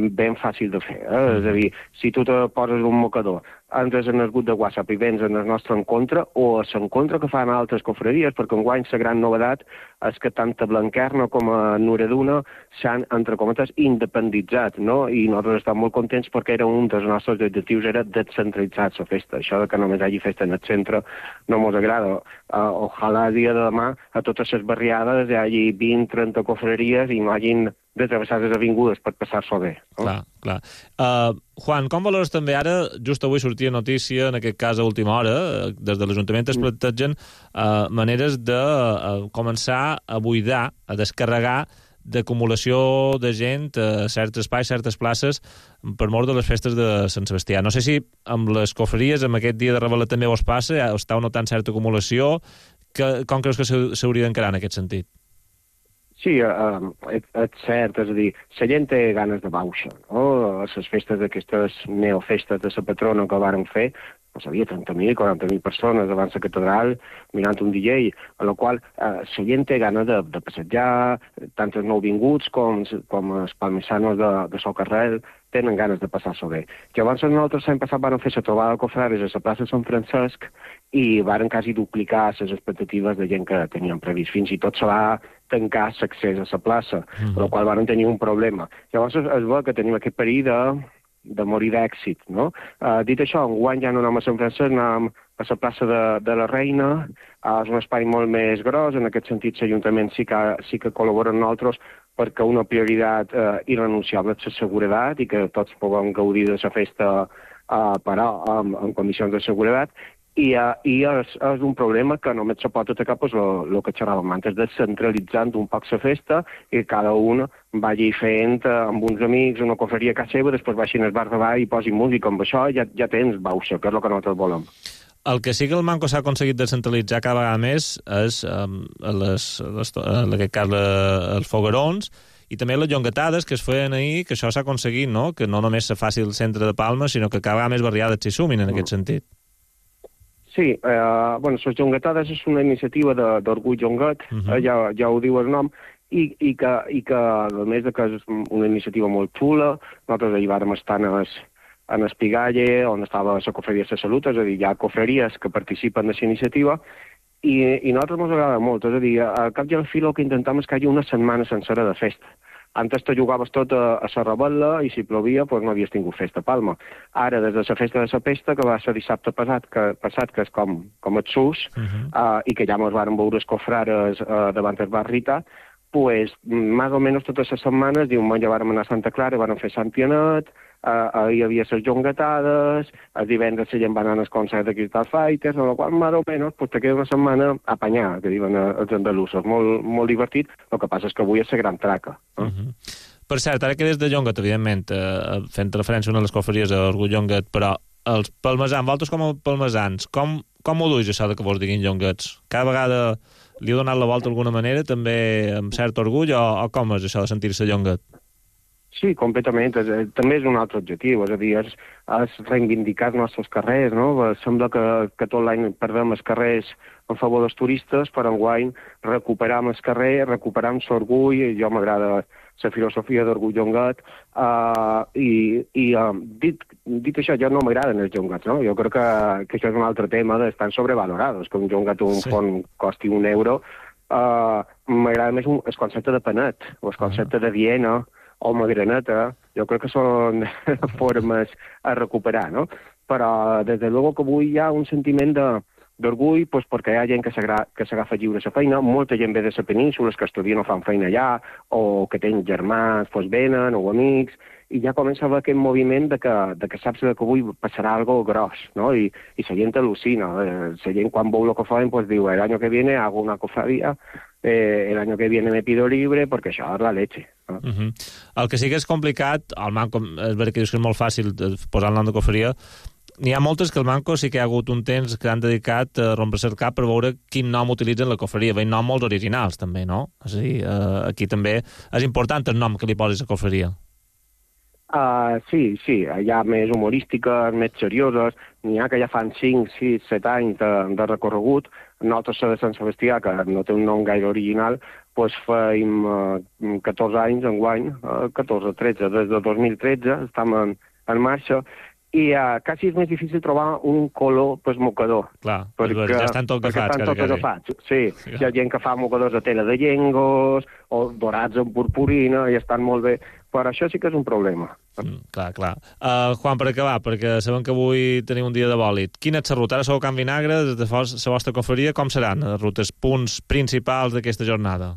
ben fàcil de fer. Eh? Mm. És a dir, si tu te poses un mocador, entres en el grup de WhatsApp i vens en el nostre encontre o a l'encontre que fan altres confraries, perquè enguany la gran novedat és que tant a Blanquerna com a Nureduna s'han, entre cometes, independitzat, no? I nosaltres estem molt contents perquè era un dels nostres objectius, era descentralitzar la festa. Això de que només hi hagi festa en el centre no ens agrada. Uh, ojalà el dia de demà a totes les barriades hi hagi vint trenta confraries i no hagin de travessar les avingudes per passar-s'ho bé. No? Clar, clar. Uh, Juan, com valores també ara, just avui sortia notícia, en aquest cas a última hora, des de l'Ajuntament es plantegen uh, maneres de uh, començar a buidar, a descarregar d'acumulació de gent a certs espais, certes places, per mort de les festes de Sant Sebastià. No sé si amb les cofreries, amb aquest dia de Revelat també us passa, estàu notant certa acumulació, que, com creus que s'hauria d'encarar en aquest sentit? Sí, uh, és, és cert, és a dir, la gent té ganes de bauxa, no? A les festes d'aquestes neofestes de la patrona que varen fer, no sabia, trenta mil, quaranta mil persones davant la catedral mirant un D J, a la qual eh, la gent té ganes de, de passejar, tant els nouvinguts com, com els palmissanos de, de Socarrel tenen ganes de passar-s'ho bé. Llavors nosaltres l'any passat vam fer la trobada de cofrares a la plaça Sant Francesc i varen quasi duplicar les expectatives de gent que tenien previst. Fins i tot se va tancar l'accés a la plaça, mm. per la qual varen tenir un problema. Llavors es, es veu que tenim aquest perill de de morir d'èxit, no? Uh, dit això, enguany ja no anem a Sant Francesc, anem a la plaça de, de la Reina, uh, és un espai molt més gros, en aquest sentit l'Ajuntament sí que, sí que col·labora amb nosaltres perquè una prioritat uh, irrenunciable és la seguretat i que tots puguem gaudir de la festa uh, però amb, amb condicions de seguretat. I, uh, i és, és un problema que només se pot atacar pues, el que xerràvem antes, descentralitzant un poc la festa i cada un vagi fent uh, amb uns amics una cofreria a casa seva, després baixin al bar de ball i posin música. Amb això ja, ja tens bauxa, que és el que nosaltres volem. El que sí que el Manco s'ha aconseguit descentralitzar cada vegada més és, um, les, les, en aquest cas, els foguerons i també les llongatades que es feien ahir, que això s'ha aconseguit, no? Que no només se faci el centre de Palma, sinó que cada vegada més barriades s'hi sumin en aquest sentit. Sí, eh, bueno, les llongatades és una iniciativa d'Orgull Llongat, uh -huh. eh, ja, ja ho diu el nom, i, i, que, i que, a més de que és una iniciativa molt xula, nosaltres ahir vàrem estar en el, en Espigalle, on estava la cofreria de Salut, és a dir, hi ha cofreries que participen d'aquesta iniciativa, i, i a nosaltres ens agrada molt, és a dir, al cap i al fi el que intentem és que hi hagi una setmana sencera de festa. Antes te jugaves tot a, a la rebel·la i si plovia doncs no havies tingut festa a Palma. Ara, des de la festa de la pesta, que va ser dissabte passat, que, passat, que és com, com el sus, uh -huh. uh, i que ja ens varen veure els cofrares uh, davant el bar Rita, pues, més o menys totes les setmanes, diumenge vàrem anar a Santa Clara, vàrem fer Sant Pianet, uh, uh, hi havia les llongatades, els divendres la gent va anar als concerts de Crystal Fighters, amb la qual més o menys pues, te queda una setmana a apanyar, que diuen els andalusos, molt, molt divertit. El que passa és que avui és la gran traca. Eh? Uh -huh. Per cert, ara que des de Llongat, evidentment, eh, fent referència a una de les cofreries a Orgull Llongat, però els palmesans, vosaltres com a palmesans, com, com ho duis això de que vos diguin llongats? Cada vegada li heu donat la volta d'alguna manera, també amb cert orgull, o, o com és això de sentir-se llongat? Sí, completament. És, també és un altre objectiu, és a dir, és, és reivindicar els nostres carrers, no? Sembla que, que tot l'any perdem els carrers en favor dels turistes, però enguany recuperam els carrers, recuperam l'orgull, i jo m'agrada la filosofia d'Orgull Llongat, uh, i, i uh, dit, dit això, jo no m'agraden els llongats, no? Jo crec que, que això és un altre tema d'estan sobrevalorados, que un llongat un sí. font costi un euro. Uh, m'agrada més un, el concepte de panet, o el concepte uh -huh. de Viena, o magraneta, jo crec que són formes a recuperar, no? Però, des de luego, que avui hi ha un sentiment de d'orgull, pues, perquè hi ha gent que s'agafa lliure la feina, molta gent ve de la península, que estudien o fan feina allà, o que tenen germans, pues, venen, o amics, i ja comença a haver aquest moviment de que, de que saps que avui passarà algo gros, no? I, i la gent al·lucina. La gent, quan veu el que fan, pues, diu, el año que viene hago una cofradía, eh, el año que viene me pido libre, perquè això és la leche. No? Uh -huh. El que sí que és complicat, el Manco, és veritat que dius que és molt fàcil posar el nom de cofreria, n'hi ha moltes que el Manco sí que hi ha hagut un temps que han dedicat a rompre-se el cap per veure quin nom utilitzen la cofreria. Veiem noms molt originals, també, no? És a dir, uh, aquí també és important el nom que li posis a cofreria. Uh, sí, sí, hi ha més humorístiques, més serioses, n'hi ha que ja fan cinc, sis, set anys de, de recorregut. Nosaltres, de Sant Sebastià, que no té un nom gaire original, doncs feim uh, catorze anys enguany, uh, catorze, tretze, des de dos mil tretze estem en, en marxa, i uh, quasi és més difícil trobar un color pues, mocador. Clar, perquè, ja estan tot agafats. Estan tot agafats, sí. sí. Hi ha gent que fa mocadors de tela de llengos, o dorats en purpurina, i estan molt bé, però això sí que és un problema. Mm, clar, clar. Uh, Juan, per acabar, perquè sabem que avui tenim un dia de bòlit. Quina és la ruta? Ara sou a Can Vinagre, des de la vostra cofreria, com seran les rutes, punts principals d'aquesta jornada?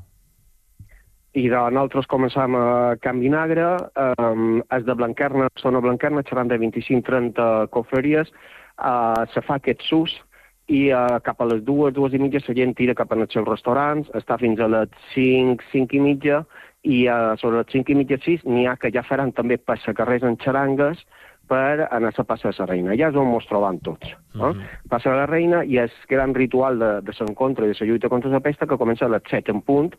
I de nosaltres començam a Can Vinagre, um, és de Blanquerna, zona Blanquerna, seran de vint-i-cinc trenta cofreries, uh, se fa aquest sus, i uh, cap a les dues, dues i mitja, la gent tira cap als seus restaurants, està fins a les cinc, cinc i mitja, i a sobre les cinc i mitja sis n'hi ha que ja faran també passacarrers en xarangues per anar a la Passa de la Reina. Ja és on ens trobam tots. No? Uh -huh. Passa de la Reina i és gran ritual de, de l'encontre i de la lluita contra la pesta que comença a les set en punt.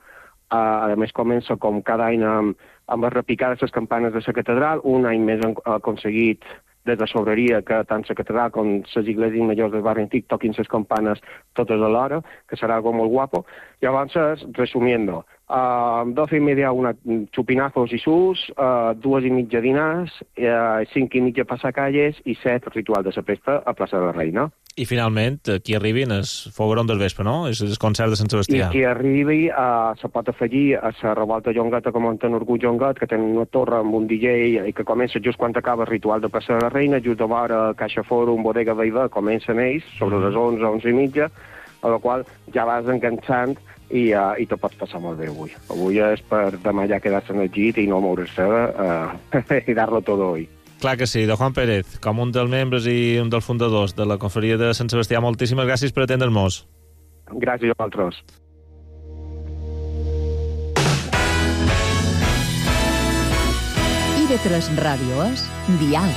Uh, a més, comença com cada any amb, amb les repicades les campanes de la catedral. Un any més han aconseguit des de la sobreria que tant la catedral com les iglesias majors del barri antic toquin les campanes totes alhora, que serà algo molt guapo. Llavors, resumiendo, uh, doce y media una chupinazos i sus, uh, dues i mitja dinars, uh, cinc i mitja passacalles i set ritual de la pesta a plaça de la Reina. I finalment, qui arribin és Fogueron del Vespre, no? És el concert de Sant Sebastià. I qui arribi uh, se pot afegir a la revolta Llongueta que munten Orgull Llonguet, que tenen una torre amb un D J i que comença just quan acaba el ritual de plaça de la Reina, just de vora Caixa Fòrum, Bodega Veiva, comencen ells, sobre les onze, onze i mitja, a la qual ja vas enganxant i, uh, i te pots passar molt bé avui. Avui és per demà ja quedar-se en el llit i no moure's uh, i dar-lo tot hoy. Clar que sí. De Juan Pérez, com un dels membres i un dels fundadors de la confraria de Sant Sebastià, moltíssimes gràcies per atendre'ns. Gràcies a vosaltres. I V tres Radio es Dial.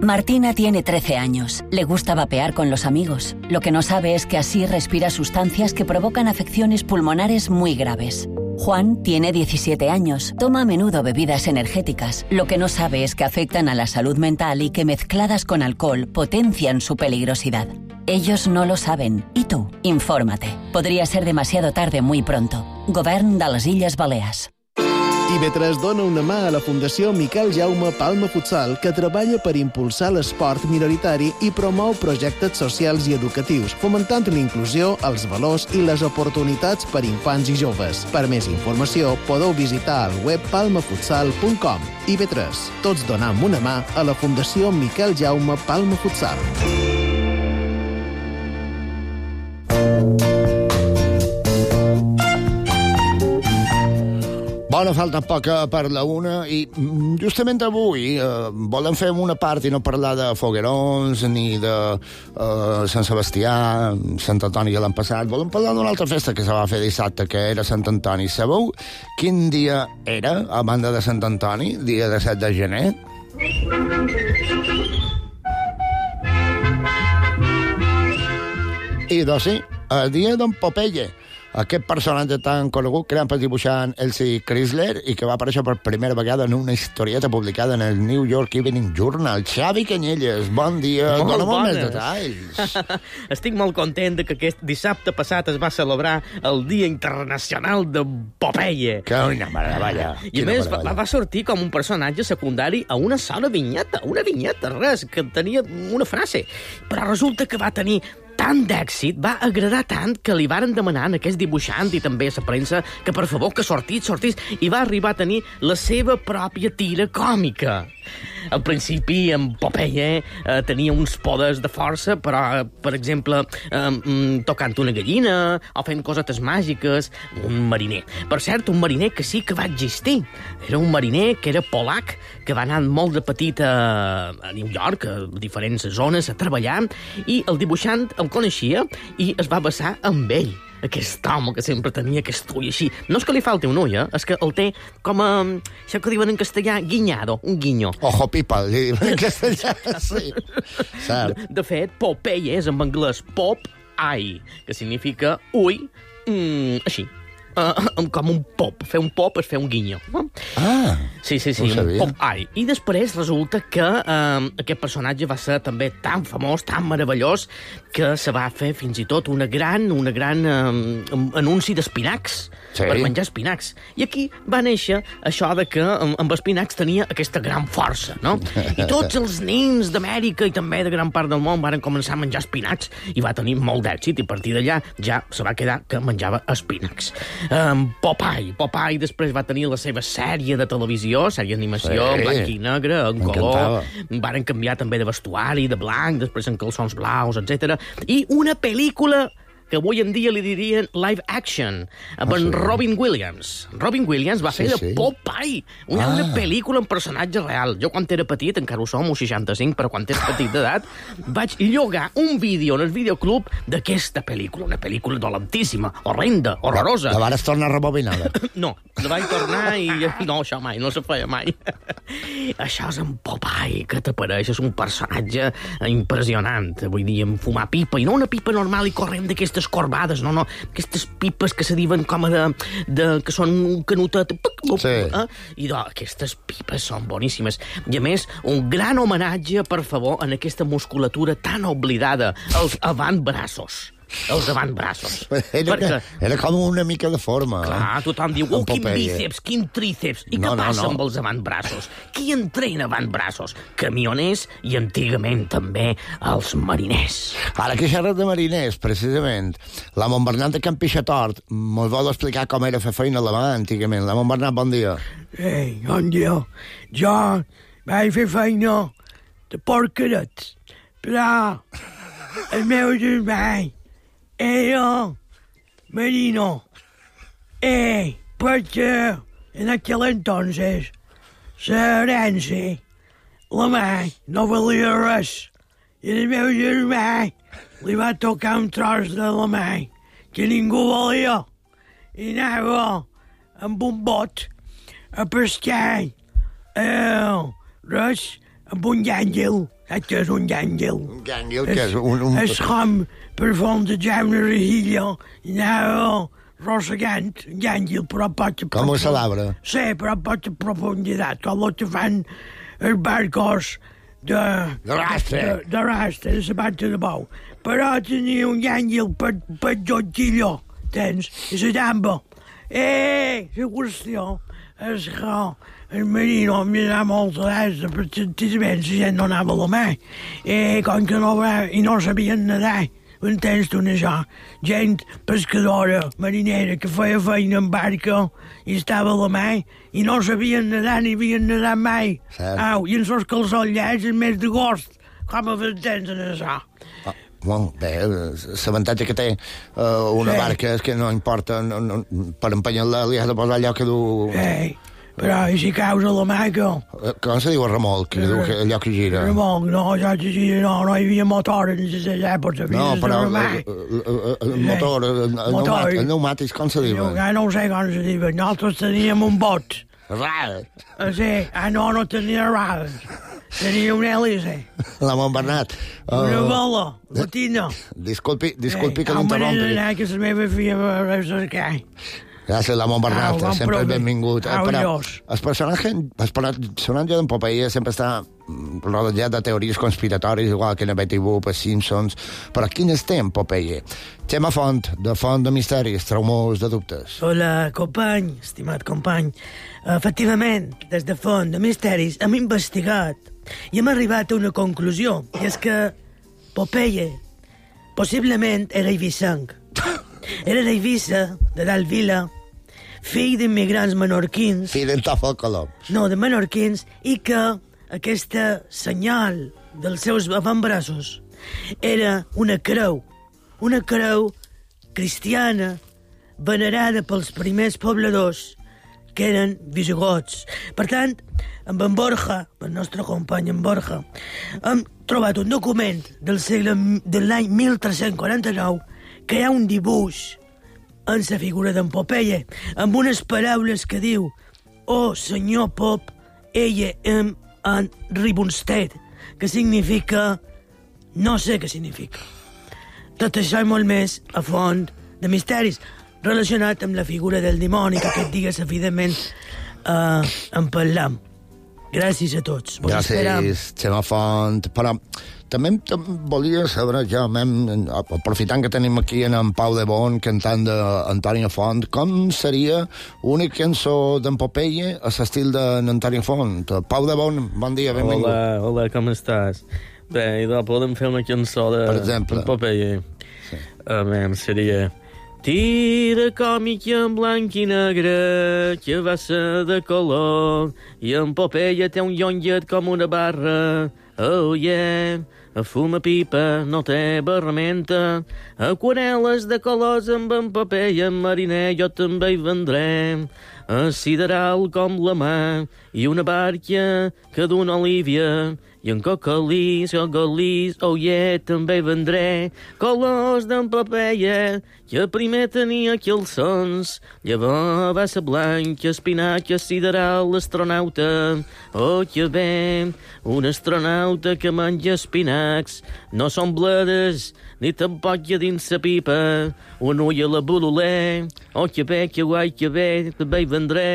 Martina tiene trece años. Le gusta vapear con los amigos. Lo que no sabe es que así respira sustancias que provocan afecciones pulmonares muy graves. Juan tiene diecisiete años. Toma a menudo bebidas energéticas. Lo que no sabe es que afectan a la salud mental y que mezcladas con alcohol potencian su peligrosidad. Ellos no lo saben. ¿Y tú? Infórmate. Podría ser demasiado tarde muy pronto. Govern de les Illes Balears. I V tres dona una mà a la Fundació Miquel Jaume Palma Futsal, que treballa per impulsar l'esport minoritari i promou projectes socials i educatius, fomentant l'inclusió, els valors i les oportunitats per infants i joves. Per més informació, podeu visitar el web palma futsal punt com. I V tres, tots donam una mà a la Fundació Miquel Jaume Palma Futsal. Bona, falta poca per la una i justament avui eh, volem fer una part i no parlar de foguerons ni de eh, Sant Sebastià, Sant Antoni ja l'han passat. Volem parlar d'una altra festa que se va fer dissabte, que era Sant Antoni. Sabeu quin dia era, a banda de Sant Antoni? Dia de set de gener? I doncs sí, el dia d'en Popeye. Aquest personatge tan conegut creat per dibuixant Elsie Chrysler i que va aparèixer per primera vegada en una historieta publicada en el New York Evening Journal. Xavi Canyelles, bon dia. Dóna'm més detalls. Estic molt content que aquest dissabte passat es va celebrar el Dia Internacional de Popeye. Que una meravella. I a més va, va sortir com un personatge secundari a una sola vinyeta, una vinyeta, res, que tenia una frase. Però resulta que va tenir tant d'èxit, va agradar tant que li varen demanar a aquest dibuixant i també a la premsa que per favor que sortís, sortís, i va arribar a tenir la seva pròpia tira còmica. Al principi, en Popeye eh, tenia uns poders de força, però, per exemple, eh, tocant una gallina o fent cosetes màgiques, un mariner. Per cert, un mariner que sí que va existir. Era un mariner que era polac, que va anar molt de petit a, a New York, a diferents zones, a treballar, i el dibuixant el coneixia i es va basar amb ell. Aquest home que sempre tenia aquest ull així. No és que li falti un ull, eh? És que el té com a... això que diuen en castellà, guiñado, un guinyo. Ojo pipa, li diuen en castellà, sí. Cert. De, de fet, Popeye és en anglès pop-eye, que significa ull, mm, així. Uh, com un pop. Fer un pop és fer un guinyo. Ah, sí, sí, sí, no un pop-eye. I després resulta que uh, aquest personatge va ser també tan famós, tan meravellós, que se va fer fins i tot una gran, una gran uh, anunci d'espinacs, sí, per menjar espinacs. I aquí va néixer això de que amb espinacs tenia aquesta gran força, no? I tots els nens d'Amèrica i també de gran part del món van començar a menjar espinacs i va tenir molt d'èxit i a partir d'allà ja se va quedar que menjava espinacs. Um, Popeye. Popeye després va tenir la seva sèrie de televisió, sèrie d'animació, sí, blanc i negre, en color. Varen canviar també de vestuari, de blanc, després en calçons blaus, etcètera. I una pel·lícula que avui en dia li dirien live action, amb ah, en sí. Robin Williams. Robin Williams va fer sí, de sí. Popeye, una, ah. una pel·lícula amb personatge real. Jo, quan era petit, encara ho som, un seixanta-cinc, però quan ets petit d'edat, vaig llogar un vídeo en el videoclub d'aquesta pel·lícula, una pel·lícula dolentíssima, horrenda, horrorosa. La vares tornar rebobinada? No, la vaig tornar i... No, això mai, no se feia mai. Això és en Popeye, que t'apareix, és un personatge impressionant. Vull dir, en fumar pipa, i no una pipa normal i corrent d'aquestes corbades, no, no, aquestes pipes que se diuen com a de... de que són un canutet... Sí. Eh? I doncs, aquestes pipes són boníssimes. I a més, un gran homenatge, per favor, en aquesta musculatura tan oblidada, els avantbraços. Els avantbraços. Era, perquè... era com una mica de forma. Clar, tothom diu, oh, quin bíceps, quin tríceps. I no, què passa no, no. amb els avantbraços? Qui entrena avantbraços? Camioners i antigament també els mariners. Ara que xerres de mariners, precisament, la Montbernat de Can Pixatort mos vol explicar com era fer feina a la mà antigament. La Montbernat, bon dia. Ei, bon dia. Jo vaig fer feina de porcarets, però el meu germà era marino. Eh, perquè en aquel entonces l'herència, la mà, no valia res. I el meu germà li va tocar un tros de la mà que ningú volia. I anava amb un bot a pescar eh, res amb un llàngel. Saps què és un llàngel? Un llàngel, que és un... un... És com per fondejar una rejilla i anava rossegant un llàngel, però pot... Com un salabre. Sí, però pot a profunditat, com el que fan els barcos de... De rastre. De, de rastre, de la bata de bou. Però tenia un llàngel per, per jotgilló, tens, i la tamba. Eh, la qüestió és que el marino em mirava molt a l'est, perquè senzillament la gent no anava a la mà. I com que no va, i no sabien nedar, entens tu això? Gent pescadora, marinera, que feia feina en barca i estava a la mà i no sabien nedar ni havien nedat mai. Au, i en els calçollats el mes d'agost, com a entens en això? Ah. Bueno, bé, l'avantatge que té uh, una sí. barca és que no importa, no, no, per empenyar-la li has de posar allò que du... Sí, però i si caus a la mà, que... Com se diu el remolc, que diu que allò que gira? Remolc, no, allò que gira, no, no hi havia motor en les èpoques. No, però el, el motor, el, el, motor. el pneumàtic, com se diu? Jo no sé com se diu, nosaltres teníem un bot. Ral. Sí, ah, no, no tenia ral. Tenia un hèlice. La Montbernat. Uh, una bola, latina. Disculpi, disculpi eh, que l'interrompi. Com m'he d'anar, que la meva filla va cercar. Gràcies, la Montbernat, ah, sempre és benvingut. Ah, però el personatge, el personatge d'en Popeye sempre està rodejat de teories conspiratòries, igual que en Betty Boop, els Simpsons. Però quin és en Popeye? Xema Font, de Font de Misteris, traumós de dubtes. Hola, company, estimat company. Efectivament, des de Font de Misteris hem investigat i hem arribat a una conclusió, i és que Popeye possiblement era eivissenc. Era d'Eivissa, de dalt vila, fill d'immigrants menorquins... Fill d'en Tòfol Colom. No, de menorquins, i que aquesta senyal dels seus avantbraços era una creu, una creu cristiana venerada pels primers pobladors, que eren visigots. Per tant, amb en Borja, el nostre company en Borja, hem trobat un document del segle de l'any mil tres-cents quaranta-nou que hi ha un dibuix en la figura d'en Popeye, amb unes paraules que diu «Oh, senyor Pop, ella em en ribonsted», que significa... no sé què significa. Tot això i molt més a Font de Misteris, relacionat amb la figura del dimoni, que aquest dia, evidentment, eh, en parlam. Gràcies a tots. Gràcies, Xema Font. Però també volia saber, ja, aprofitant que tenim aquí en, en Pau de Bon, cantant d'Antònia Font, com seria una cançó d'en Popeye a l'estil d'Antònia Font? Pau de Bon, bon dia, benvingut. Hola, hola, com estàs? Bé, idò, podem fer una cançó de en Popeye. Sí. A veure, seria... Tira còmica en blanc i negre, que va ser de color, i en Popeye té un llonget com una barra. Oh, yeah, fuma pipa, no té barramenta, aquarel·les de colors amb en paper i en mariner jo també hi vendré, a sideral com la mà i una barca que d'una olívia, i en cocalís, cocalís, oh yeah, també vendré colors d'en papeia, que primer tenia calçons, llavors va ser blanc, espinac, sideral, astronauta, oh que bé, un astronauta que menja espinacs, no són bledes, ni tampoc hi ha dins sa pipa, un ull a la bololé, oh que bé, que guai, que bé, també hi vendré,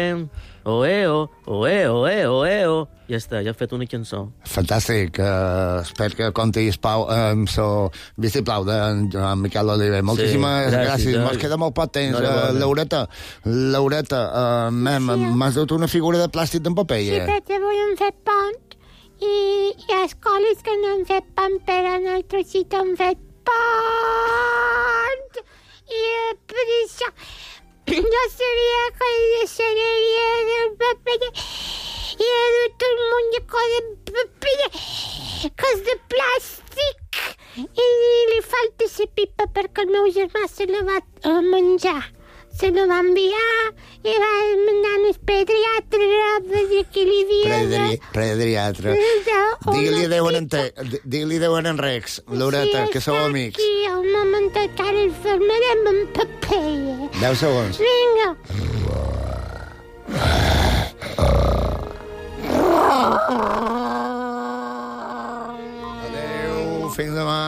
oh eh, oh, oh eh, oh eh, oh eh, oh. Ja està, ja he fet una cançó. Fantàstic. Uh, espero que comptis Pau, amb so vistiplau de en Miquel Oliver. Moltíssimes sí, gràcies. gràcies. Mos queda molt poc temps. No, no, uh, Laureta, Laureta, uh, mem, sí. m'has dut una figura de plàstic d'en paper, eh? Sí, perquè avui hem fet pont i hi ha escoles que no han fet pont, però nosaltres sí que hem fet pont. I uh, per això jo sabia que hi deixaria del paper i he dut un munt de coses de paper que és de plàstic i li falta la pipa perquè el meu germà se la va uh, menjar. Se la va enviar i va mandar al pediatre a veure què li havia... Pediatre. Digue-li adéu en te, digue-li adéu en Rex, Laureta, que sou amics. Sí, aquí, un momentet que ara el fermarem amb paper. Deu segons. Vinga. Adéu, fins demà.